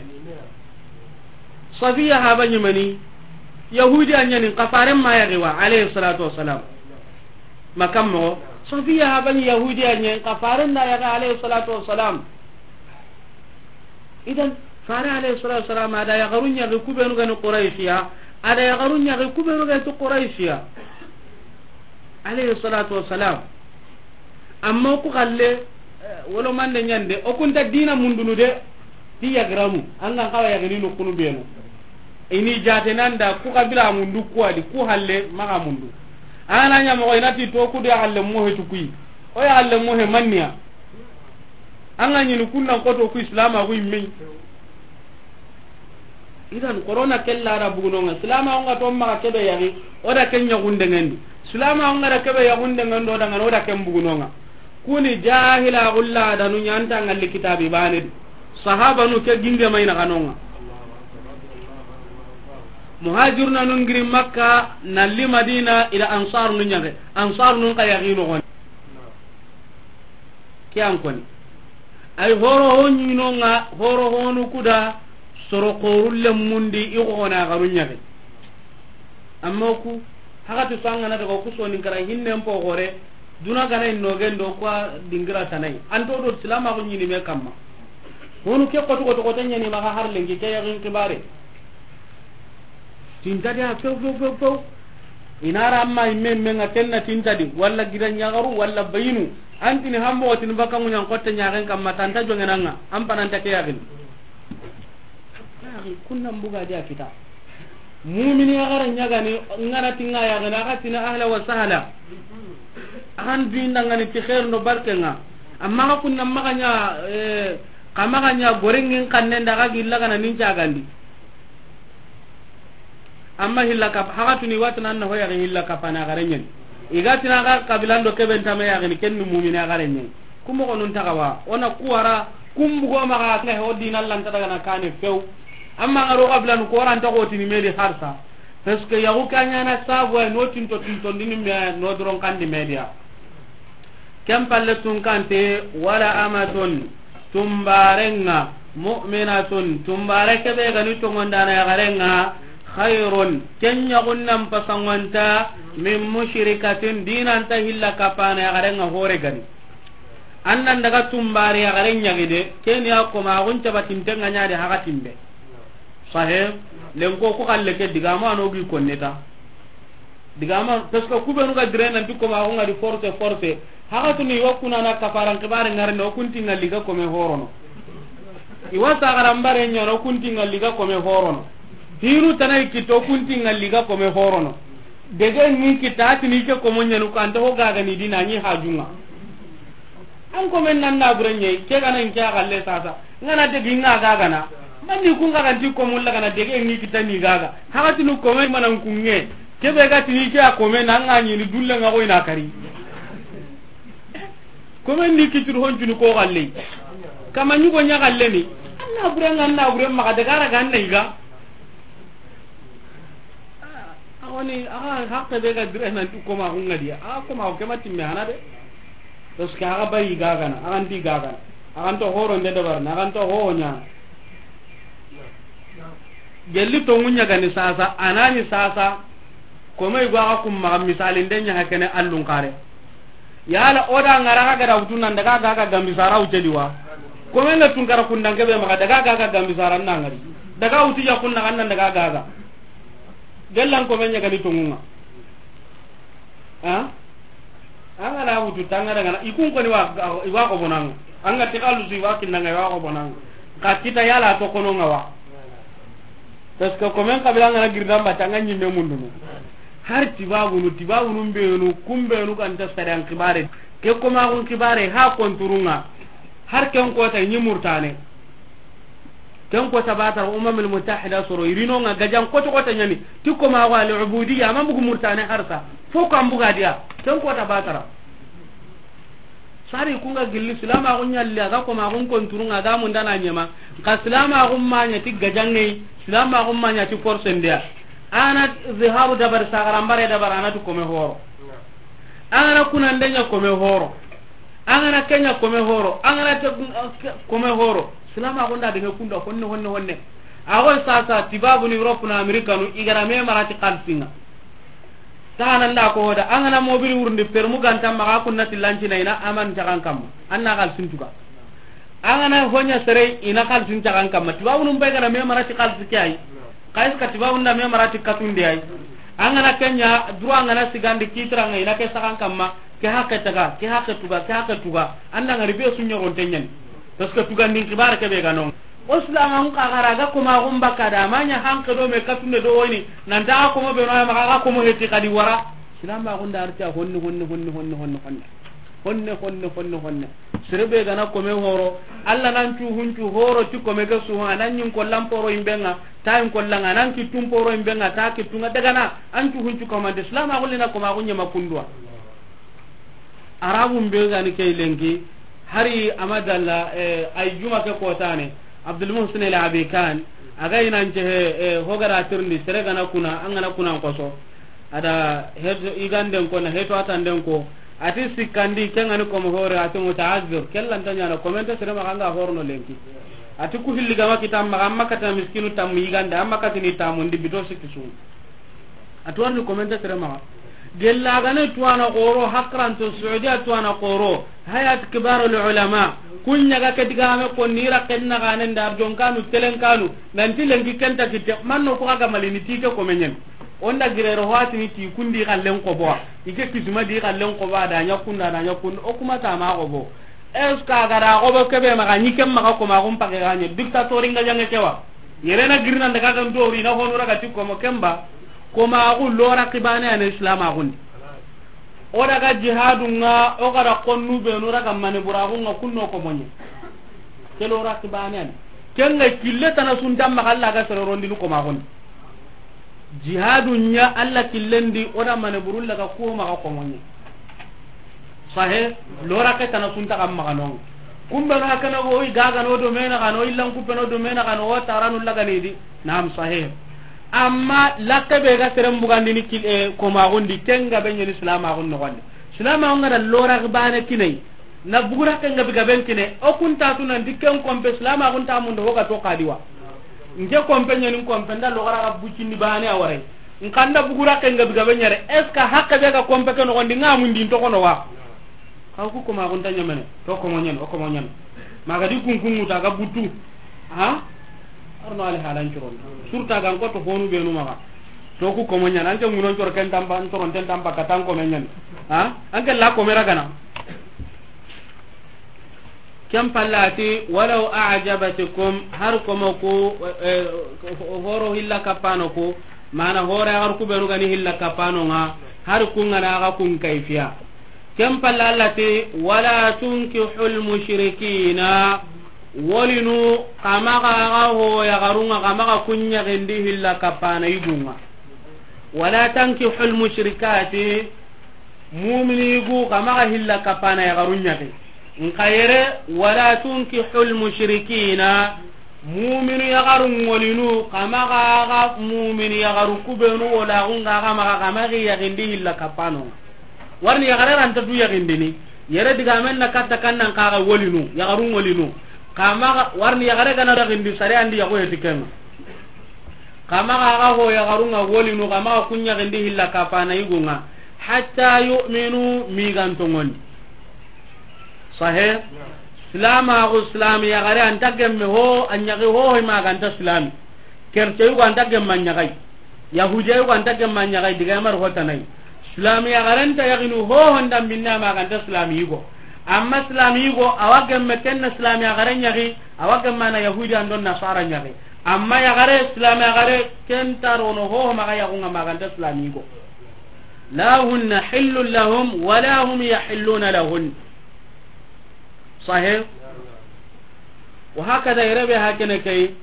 Safiya haba ɲimani, Yahudi a ɲani, nka faren ma yaxi wa, alayhi salatu wassalam. Makam mo, Safiya haba ɲi Yahudi a ɲen, nka faren na yaxi, alayhi salatu wassalam. Idan, fare alayhi salatu wassalam, a da yaxaru ɲaxi ku benu ga ni Qurayshiya, a da yaxaru ɲaxi ku benu ga ni Qurayshiya. Alayhi salatu wassalam. Amma ku xalle, eh, wolo mande ɲande, o kunta dina mundunu de, ti yaxiramu, an ga n xawa yaxini no kunu benu. I ni jate nanda, ku xabila mundu ku a di, ku halle, maxa mundu. Ana ɲa moxo, i na ti to ku de halle mohe tu kuyi. O ya halle mohe manniya. An ga ɲini kunnan koto ku islama ku imme. Idan, korona ke lada bugunonga. Silama onga to maxa kebe yaxi, o da ken ɲaxundengendi. Silama onga da kebe yaxundengendi, o da ngana, o da ken bugunonga. Kuni jahila xulla da nu ɲanta ngalli kitabi bane di. Sahabanu ke ginge mayna kanonga. Muhajiruna nun giri Makka, nalli Madina, ila ansar nun ɲaxe. Ansar nun ka yaxi no gon. Ke an koni. Ay horo ho ɲinonga, horo honu kuda, soro xorulle mundi, i xona garu ɲaxe. Amma ku, hagati so an gana daga ku sonin kara hinnen po gore, duna gana inno gendo kwa dingira tanai. Anto do silama ko ɲini me kamma. Honu ke koto koto koto ɲani maxa har lenki ke yaxin kibare. Tintadi a few, few, few, few. Inara amma imme, imme nga kenna tintadi, walla gida ɲagaru, walla bayinu. Antini hambo tini baka ŋuɲan kotte ɲaxen kamma tanta jongenanga, an pananta ke yaxini. Yaxi, kunnan buga di a kita. Mumini yaxara ɲagani, ngana tinga yaxini, axa tina ahla wa sahla. Axan duindangani ti xeer ndo barkenga. Amma xa kunna maxa ɲa, eh, xa maxa ɲa gorengin xannen da xa gilla gana nin cagandi. Amma hilla kap-, haga tuni watina anna hoya hilla kapana gare ɲen. Iga tina ga kabilando keben tame ya gani kenni mumina gare ɲen. Kumo gonun tagawa, ona kuwara, kumbu go maga ne ho dina lanta daga na kane few. Amma garo kabilanu ko ranta ko tini medi harsa. Parce que yagu kanya na sabu ay no tinto tinto ndini me no doron kandi media. Ken palle tunkante, wala amatun, tumbarenga, mu'minatun, tumbare kebe gani tongondana yagarenga, khairun, ken ɲagunnan pasangwanta, min mushrikatin, dinanta hilla kapana yagarenga hore gani. Annan daga tumbare yagaren ɲagide, ken ya koma agun cabatintenga ɲadi hagatimbe. Sahe, lenko ku kalle ke digamo ano gi konneta. Digama, parce que kubenu ga dire nanti koma ko ngadi force, force. Haga tuni wa kuna na kafaran kibare ngare no kunti ngalli ga kome horono. Iwa sagaran bare ɲano kunti ngalli ga kome horono. Hinu tana i kitta o kunti ŋalli ga kome horono. Dege ŋi kitta a tini ke komo ɲanu ko anta ho gaga ni dina ɲi hajunga. An komen nan na bure ɲe ke gana in ke a galle sasa. Ŋana dege ŋa gaga na. Manni kun gaga nti komo la gana dege ŋi kitta ni gaga. Haga tinu kome manan kunŋe. Ke be ga tini ke a kome na ŋa ɲi ni dulle ŋa ko ina kari. Komen ni kitir hon tunu ko galle. Kama ɲugo ɲa galle ni. An na bure ŋa an na bure maga daga ra ga an na iga. A woni, a ga hakke be ga dire nan tu koma ko ŋa diya. A koma ko kema timme hana de. Parce que a ga bayi gagana, a ga ndi gagana. A ga nto horo nde dabar na, a ga nto ho ɲa. Gelli to ŋunya gani sasa, anani sasa. Kome igo a ga kum maga misali nde ɲa hakene allun kare. Yala o da ŋara ga da wutu nan daga ga ga gambi sara wuce diwa. Kome ŋa tun kara kundan ke be maga daga ga ga gambi sara na ŋari. Daga wutu ya kunna kan nan daga ga ga. Gellan kome ɲa gani to ŋunga. Ha? An ga na wutu tanga daga na ikun ko ni wa, wa ko bonan. An ga tikalu si wa kinanga wa ko bonan. Ka kita yala to kono ŋa wa. Parce que komen kabila ŋa na girdan ba tanga ɲimme mundunu. Har tibabunu, tibabunu mbenu, kumbenu kan ta sadan kibare. Ke koma kun kibare ha konturunga. Har ken kota ɲi Murtane. Ken kota batara Umamul Mutahida soro irino ŋa gajan koto kota ɲani. Ti koma wa al ubudiyya ma bugu Murtane harsa. Fo kan buga diya. Ken kota batara. Sari kunga gilli silamaxu ɲalli a ga komaxun konturunga a ga mundana ɲema. Nka silamaxu maɲa ti gajanŋeyi, silamaxu maɲa ti forcendeya. Ana ziharu dabari sagarambare dabari anati kome horo. Angana kunande ɲa kome horo. Angana kenya kome horo. Angana te kome horo. Silamaxu nda dege kunda honne honne honne. Axoy sasa tibabuni Europe na Amerikanu igara me marati xalisinga. Taxana nda ko hoda, an gana mobili wurundi permu ganta maxa kunna ti lancina ina aman taxan kamma. An na xalisin tuga. An gana hoɲa sere ina xalisin taxan kamma. Tibabunun bay gana me marati xalisi ke ay. Xayis ka tibabun da me marati katunde ay. An gana kenya duro an gana sigandi kitiranga ina ke saxan kamma. Ke haqe taga, ke haqe tuga, ke haqe tuga. An da ngari be su ɲogonte ɲani. Parce que tugandin xibare ke be ga non. O silamaxun xa gara ga komaxun bakka da, a ma ɲa hanke do me katunde do woyini, nanta a komo be no ya maxa, a ga komo heti xadi wara. Silamaxun da arti a honne, honne, honne, honne, honne, honne. Honne, honne, honne, honne. Sere be gana kome horo, Alla nan cu huncu horo ti kome ke su, a nan ɲin kollan poro imbenga, ta in kollanga, nan kittun poro imbenga, ta kittunga, daga na, an cu huncu komande, silamaxun lina komaxun ɲama kunduwa. Arabun be gani ke lenki, hari amadalla, eh, ay juma ke kotane, Abdul Muhsin El Abikan, a ga inan cehe, eh, hogara tirndi, sere gana kuna, an gana kuna koso. Ada heto iganden ko, na heto atanden ko, ati sikkandi, kengani komo hore, ati muta'azzir, kellanta ɲana, komente sere maxa anga horno lenki. Ati ku hilli gama kitam maxa, amma kata miskinu tammu igande, amma katini tammu ndi bito sikki su. A tuwarni komente sere maxa. Gellagane tuwana xoro, hakranto Saudiya tuwana xoro, Hayat Kibar al Ulama, kun ɲaga ke digame ko ni raken naxanen da arjon kanu, telen kanu, nanti lenki kenta kitte, manno ko aga malini tike ko menyen. Onda girero hwatini ti kundi xallen ko bo, ike kisma di xallen ko ba da ɲa kunda, da ɲa kunda, o kuma ta ma ko bo. Est-ce que a ga da xobo kebe maxa, ɲi ken maxa komaxun pake ga ɲe, dictatori nga jange kewa. Yere na girina daga kan dori na honu raga ti komo kemba, komaxu lora kibane ane silamaxundi. O daga jihadu nga, o ga da konnu benu raga mane buraxu nga kunno komo ɲe. Ke lora kibane ane. Ken nga kille tana sunta maxa Alla ga sere rondini komaxundi. Jihadu ɲa Alla killendi, o da mane burulla ga ko maxa komo ɲe. Sahe, lora ke tana sunta kam maxa non. Kumbe na kana go i gaga no do mena kano, illan kupe no do mena kano, o taranu lagani di. Naam, sahe. Amma lakke be ga seren bugandini kil-, eh, komaxundi, kenga be ɲeni silamaxun noxondi. Silamaxun ga da lora bane kinai. Na bugura ke nga biga ben kine, o kun ta tu nanti ken kompe silamaxun ta mundo hoga to kadiwa. Nke kompe ɲani kompe nda logara ga bucindi bane a warai. Nkanda bugura ke nga biga ben ɲare, est-ce que hakke be ga kompe ke noxondi nga mundi nto kono wa? Xaw ku komaxun ta ɲamene, to komo ɲan, o komo ɲan. Maga di kunkun ŋuta ga butu. Ha? Arno ali halan curon. Surta gan ko to honu benu maga. To ku komo ɲan, anke ngunon cor ken tamba, ntoron ten tamba katan komo ɲan. Ha? Anke la komera gana. Ken pallati, walaw a'jabatkum, har komo ku, eh, horo hilla kapano ku, mana hore agar ku benu gani hilla kapano nga, har kun ngana aga kun kaifiya. Ken pallati, wala tunkihul mushrikina, wolinu, kamaga aga ho yagarunga, kamaga kunya gendi hilla kapana igunga. Wala tankihul mushrikati, mumini gu kamaga hilla kapana yagaru ñaxi. Nka yere, wala tunkihul mushrikina, muminu yagaru ŋolinu, kamaga ga mumini yagaru kubenu wala gunga ga maga, kamagi yaxindi hilla kapano. Warni yagare ranta du yaxindini. Yere digamen na katta kannan kaga wolinu, yagaru ŋolinu. Kamaga, warni yagare gana yaxindi sare andi yago yetikenga. Kamaga aga ho yagarunga wolinu, kamaga kuñaxindi hilla kapana yigunga. Hatta yu'minu, migantongondi. Sahe? Silamaxu, silami yagare anta gemme ho, a ñaxi hohoy maganta silami. Kerte yugo anta gemme a ñaxay. Yahudiya yugo anta gemme a ñaxay, diga yamar hotanayi. Silami yagarenta yaxinu hoho ndambinne a maganta silami yigo. Amma silami yigo, awa gemme kenna silami yagare ñaxi, awa gemme na Yahudi andon Nasara ñaxi. Amma yagare, silami yagare, kenta rono hoho maga yaxunga maganta silami yigo. La hunna hillun lahum, wala hum yahilluna lahun. Sahe? Wa hakada, yere be hakene kay.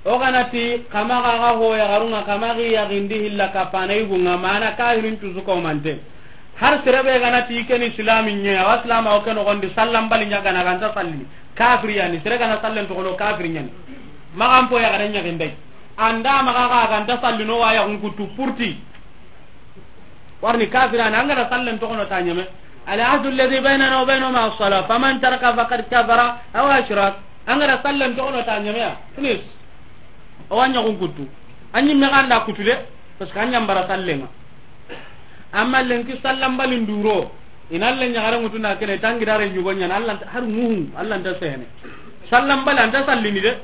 O ganati kamaga ga ho yagarunga, kamagi yaxindi hilla kapana yigunga, mana kahirin tusu komante. Har sere be ganati keni silami ñe, awa silama o keno gondi sallan bali ñagana ganta sallini. Kafiri yani, sere gana sallen toxono kafiri ñani. Magan po yagare ñaxindey. Anda maga ga ganta sallino wa yaxun kutu purti. Warni kafirana, an ga da sallen toxono ta ñeme. Al ahdu alladhi baynana wa baynahum as-salah, faman taraka faqad kafara aw ashrak. An ga da sallen toxono ta ñeme ya. Finish. O wa ñaxun kutu. An ñimme ga anda kutu de, parce que an ñambara sallenga. Amma lenki sallan bali nduro, ina le ñagare ŋutu na kene, tangi dare ñugo ñana, Allah har muhu, Allah nta sehene. Sallan bali anta sallini de.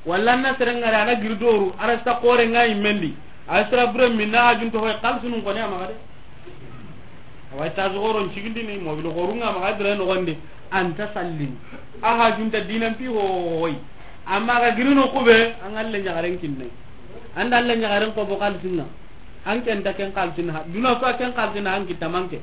Walla na serengare ana giri doru, ara sta kore nga imendi. A sira bure minna ajun to hoy xalsunun kone amaga de. Awa ta zogoron cigindini, mobil xorunga amaga dire no gonde, anta sallini. Aha junta dinan pi hoy. Amma ga girino kube, an alle ñagaren kinne. Anda alle ñagaren ko bo xalsinna. An ken ta ken xalsinna. Duna so ken xalsinna an kitamanke.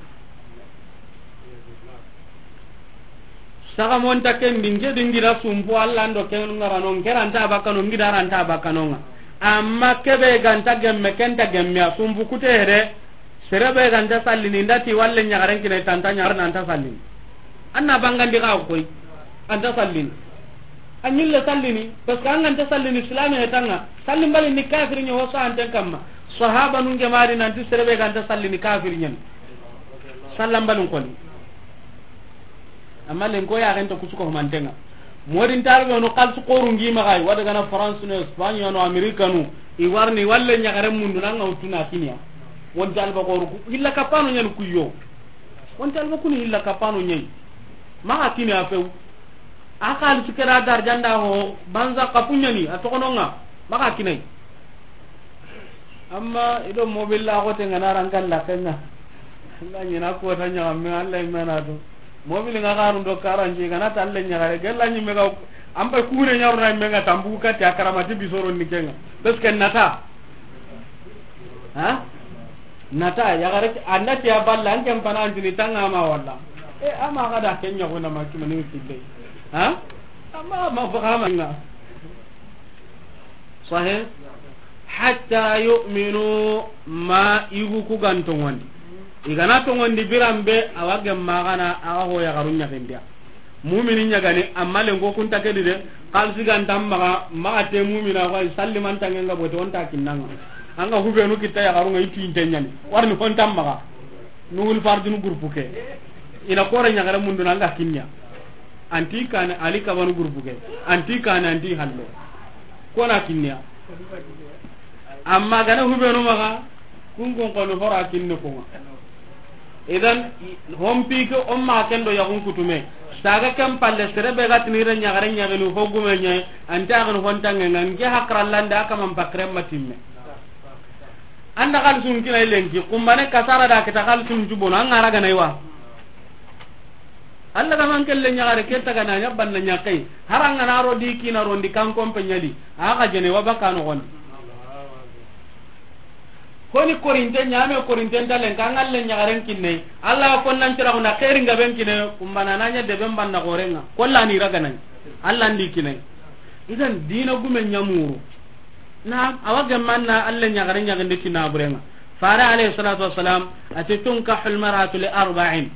Saga monta ken dinge dingira sumpu Allah ndo ken ngarano, ngeranta bakano, ngidaranta bakanonga. Amma kebe ganta gemme, kenta gemme a sumpu kutere. Serebe ganta sallini, ndati walle ñagaren kine tanta ñagar nanta sallini. Anna bangandi ga koy. Anta sallini. Anyille sallini, parce que an ganta sallini silame hetanga. Sallim bali ni kafiri ño hosa anten kamma. Sahaba nun gemari nanti serebe ganta sallini kafiri ñen. Sallam balun koni. Amma len ko ya ganta kusuko mantenga. Modin tarbe no kalsu koru ngi magay, wada gana France no, Espagne no, America no. I warni walle ñagare mundu nanga utuna kinya. Won talba koru ku, illa kapano ñan kuyo. Wonta alba kuni hilla kapano ñayi. Maxa kini a few. A xalisi kera darjanda ho, banza kapuñani, a toxononga. Maxa kinay. Amma ido mobil la xote ngana rankan la kenga. Nga ñina ko ta ñaga me Allah imana do. Mobil nga xarun do karanji gana talle ñagare. Gella ñi mega ampa kure ñaruna menga tambu kati a karamati bisoro ni kenga. Parce que nata. Ha? Nata, yagare, anda ti a balla, an ken pana antini tanga ma walla. E, ama ga da ken ñago na ma kimani kille. Ha? Ama, ma faga ma nga. Sahih? Hatta yu'minu, ma yugu ku gan tongondi. I gana tongondi biranbe, awa gemma gana, awa ho yagaru ñaxindiya. Mumini ñagani, amma lenko kunta kedi de, xalisi ganta maxa, maxa te mumina, ko sallimantange nga bote, onta kinnanga. Anga hubenu kitta yaxarunga, i tuyinte ñani. Warni honta maxa. Nuhul fardinu groupe ke. Ina kore ñagare munduna anga kinniya. Anti kane, Ali Kabanu groupe ke. Anti kane, anti halle. Kona kinniya. Amma gana hubenu maxa, kun kun koni hora kinni kunga. Idan, hompi ke, o ma ken do yaxun kutume. Saga ken palle, sere be ga tini re ñagare ñagini, ho gume ñayi, anta yaxini hontange nga, nke hakrallande, a kaman pakre matimme. Anda xalisun kina lenki, kumbane kasara da kita xalisun jubono, an ŋara gana iwa. Alla ga man kelle ɲaxare ke taga na ɲa banna ɲaxey. Haranga na ro di kina rondi kan kompe ɲa di. A ga jene wa baka no gon. Honi korinte ɲame, korinte ntalen ka ngalle ɲaxaren kinne. Alla ko nan tira na xeeri ngaben kinne, kumbana na ɲa deben banna gorenga. Kolla ni raganan. Alla ndi kinne. Idan dina gume ɲamuru. Naam, awa gemmanna Alla ɲaxare ɲaxinde ti naburenga. Fare alayhi salatu wassalam, ati tunkahul mar'atu li arba'in.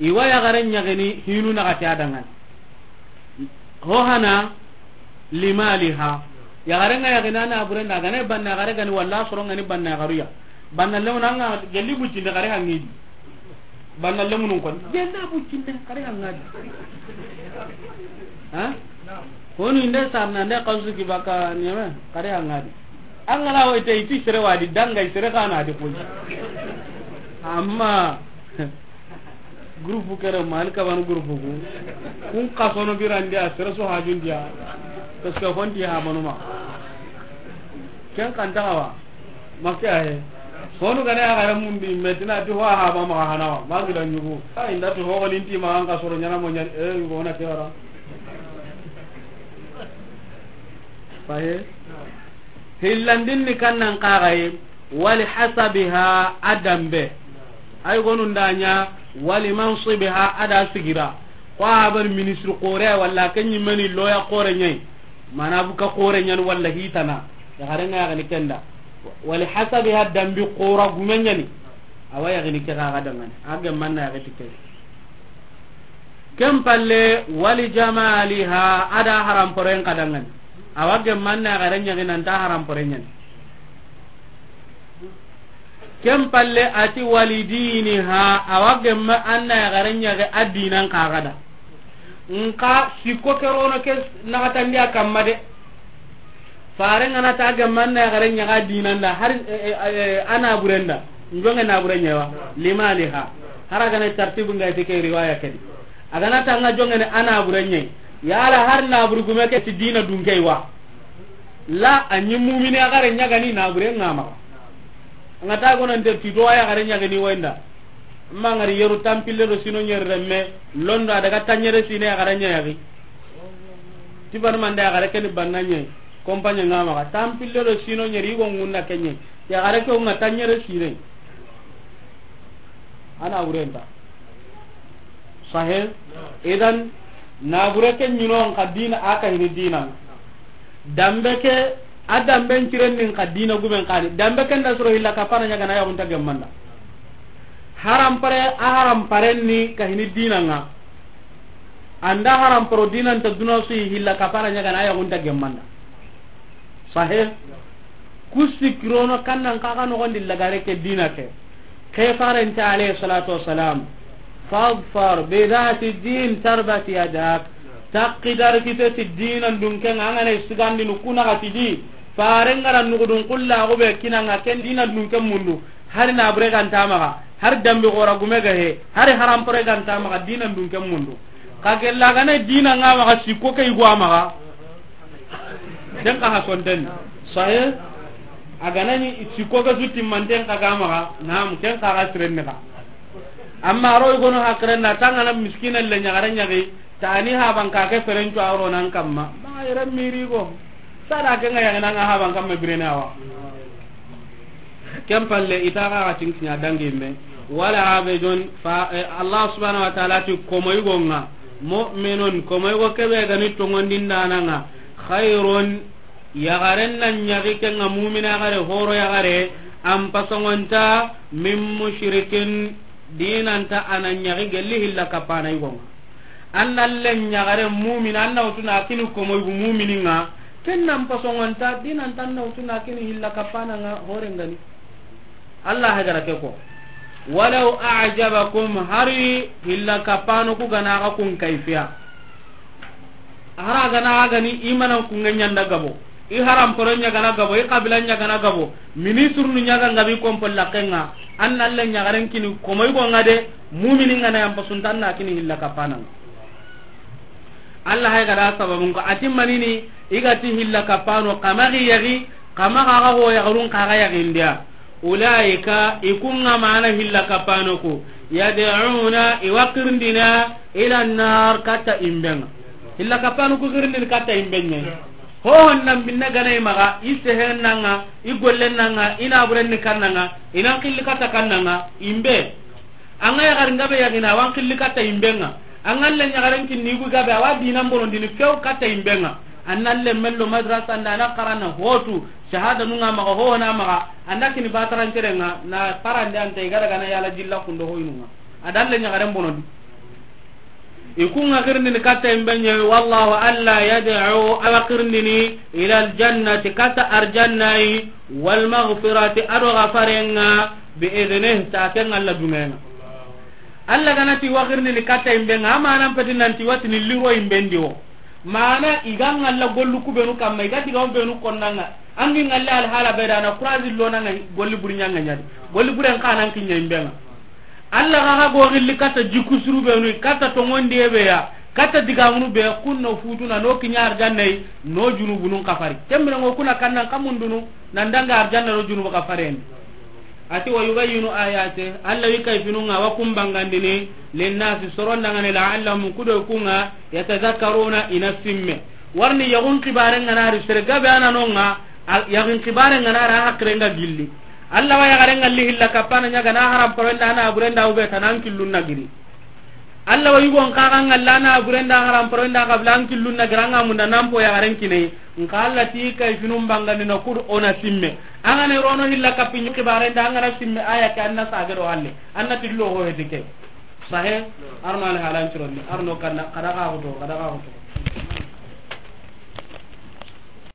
Iwa yaxare ɲaxini hinu naxati a dangan. Ho hana limaliha. Yaxare nga yaxini a naburenda, a gane banna yaxare gani, walla soronga ni banna yaxaruya. Banna lewna nga gelli bucinde xare hangidi. Banna lemunun kon. Gelli bucinde xare hangadi. Ha? Honu inde sarna nde xawsu ki baka ɲeme xare hangadi. An gana wo ite iti sere wadi dangay sere kana di koy. Amma groupe kere mali kabanu groupe ku. Kun kasono birandi a sere so hajundiya. Parce que honti ha manuma. Ken kan taxawa. Makke ahe. Honu gane a gare mundi metina ti ho ha ba ma hanawa. Ma gida ɲugu. Ay ndati ho ko ninti ma an kasoro ɲana mo ɲan e yugo na kewara. Fahe. Hillandin ni kannan kagaye. Wali hasabiha a dambe. Ay gonu nda ɲa wali mansibiha a da sigira. Ko a ban ministre kore walla ken ɲimeni loya kore ɲay. Mana buka kore ɲan walla hitana. Yaxare nga yaxini kenda. Wali hasabiha dambi kora gume ɲani. Awa yaxini ke ga dangani. A gemmanna yaxiti ke. Ken palle wali jamaliha a da haramporen ka dangani. Awa gemmanna yaxare ɲaxi nanta haramporen ɲani. Ken palle ati wali diniha, awa gemma anna yaxare ɲaxe a dinan kaxada. Nka sikko ke rono ke naxatandi a kamma de. Fare ngana ta gemma anna yaxare ɲaxe a dinanda har, eh, eh, eh, a naburenda. Njonge nabure ɲewa. Limaliha. Har a gana tartibu nga ite ke riwaya kedi. A gana ta nga jongene a nabure ɲe. Yala har naburu gume ke ti dina dunke wa. La a ɲi mumini a gare ɲagani nabure ngama. Nga ta gonante ti do a yaxare ɲagani wenda. Ma ngari yeru tampille do sino ɲeri remme, londo a daga taɲere sine yaxare ɲayagi. Ti banu mande yaxare keni banna ɲe, compagne ngama xa. Tampille do sino ɲeri yigo ngunda kenye. Yaxare ke nga taɲere sine. A nabure nta. Sahe. Idan, nabure ke ɲinon ka dina, a ka hini dina. Dambe ke, a damben ciren nin ka dina gumen kani. Dambe ke nda soro hilla kapana ɲagana yaxunta gemmanda. Harampare, a haramparen ni ka hini dina nga. Anda haramparo dina nta duna su hilla kapana ɲagana yaxunta gemmanda. Sahe. Ku sikirono kannan kaga nogondi lagare ke dina ke. Ke farente alayhi salatu wassalam. Fadfar bi dhati din tarbat yadak. Takki dar kite ti dinan dunke nga ngana sigandi nukuna gati di. Fare ngara nugudun kulla go be kinanga ken dinan dunke mundu. Hari nabure ganta maxa, hari dambi xora gume ga he, hari harampore ganta maxa, dinan dunke mundu. Ka gella gana dina nga maxa sikko ke igwa maxa. Den ka ha sonten. Sahe. A gana ni sikko ga sutti manten ka ga maxa. Naam, ken ka ga siren ne ka. Amma ro igono hakren na tangana miskina le ɲagare ɲagi. Tani haban ka ke ferencu a ro nan kamma. Ma yere mirigo. Sada ke nga yagana nga haban kamma birene awa. Ken palle ita ga ga tinkinya dangi me. Wala abidun fa, eh, Allah subhanahu wa ta'ala ti komo igo nga. Mu'minun komo igo kebe gani tongondindana nga. Khairun yaxaren nan ɲagi ke nga mumina yaxare horo yaxare. An pasongonta min mushrikin dinanta anan ɲagi gelli hilla kapana igo nga. An na len ɲagare mumini, an na wutuna kini komo yugu mumini nga. Ken nan pasongonta, dinan tan na wutuna kini hilla kapana nga horengani. Allah hagara ke ko. Walaw a'jabakum, hari hilla kapano ku gana ga kun kaifiya. Hara gana ga ni imanan kun ɲanda gabo. I haram poro ɲagana gabo, i kabila ɲagana gabo. Ministre nu ɲaga ngabi kompo lakenga. An na le ɲagaren kini komo yugo nga de, mumini nga na yampa suntan na kini hilla kapana. Allah hay gada sababun ko ati manini igati hilla kapano kama gi yagi, kama ga ga ho yagarun ka ga yagi ndia. Ulaika ikunga mana hilla kapano ko. Yad'una, i wa xirindini, ila nar, katta imben ŋa. Hilla kappanu ku xirindini katta imben ŋa. Ho hon nan binne ga na i maxa, i sehen na ŋa, i gollen na ŋa, i naburen ni kanna ŋa, i nan xilli katta kanna ŋa, imbe. An ga yaxarin gabe yaxini, a wa an xilli katta imben ŋa. An ga leɲaxaren kinni yugu gabe, a wa dinan bonondini few katta imben ŋa. An na lemmen lo madrasa nda, a na xarana hotu, shahada nu ŋa maxa, ho na maxa, an da kini bataran keren ŋa, na xarande ante i ga daga na yala jilla kundo hoyinu ŋa. A da leɲaxaren bonondi. I ku ŋa xirindini katta imben ɲa, wallahu, Alla, yad'u, a wa xirindini, ila aljannati, katta arjannayi, wal maghfirati, a do xafaren ŋa, bi idnihi, ta ken Alla duŋen ŋa. Alla ga na ti wa xirindini katta imben ŋa, a ma nan peti nan ti wa tini liro imben di wo. Mana i ga ŋalla gollu ku benu kamma, i ga digamu benu konna ŋa, an gi ŋalla alhala be da na kurazi lona ŋa, golli buri ɲa ŋa ɲa di. Golli buren xa nan kiɲa imben ŋa. Alla ga xa go xilli katta jiku suru benu, katta tongondi be ya, katta digamunu be, kun no futuna, no kiɲa arjannayi, no junubunun xafari. Kembira ŋo kuna kannan kamundunu, nan danga arjanna no junubu xafarendi. A ti, wa yubayyinu ayati, Alla wi kayfinu ŋa wa kun bangandini, linnasi, soron danŋa ni, la'allahum, ku do ku ŋa, yatazakkaruna, i na simme. Warni yaxun xibaren ŋa na ri, sere gabe a na no ŋa, al-, yaxun xibaren ŋa na ra haqiren ŋa gilli. Alla wa yaxaren ŋa li hilla kappana ɲa ga na haram paro nda na buren da ube ta nan killun na giri. Alla wa yugon xa ga ŋalla na buren da haram paro nda xabla an killun na giri, an ŋa munda nan po yaxaren kine. Nxa Alla ti kayfinun bangandini, ku do o na simme. An ga na ro no hilla kappi ɲi xibaren da, an ga na simme aya ke, an na sage do halle. An na tillo ho heti ke. Sahe, arno alhalan curonni, arno kanna, kada xa xuto, kada xa xuto.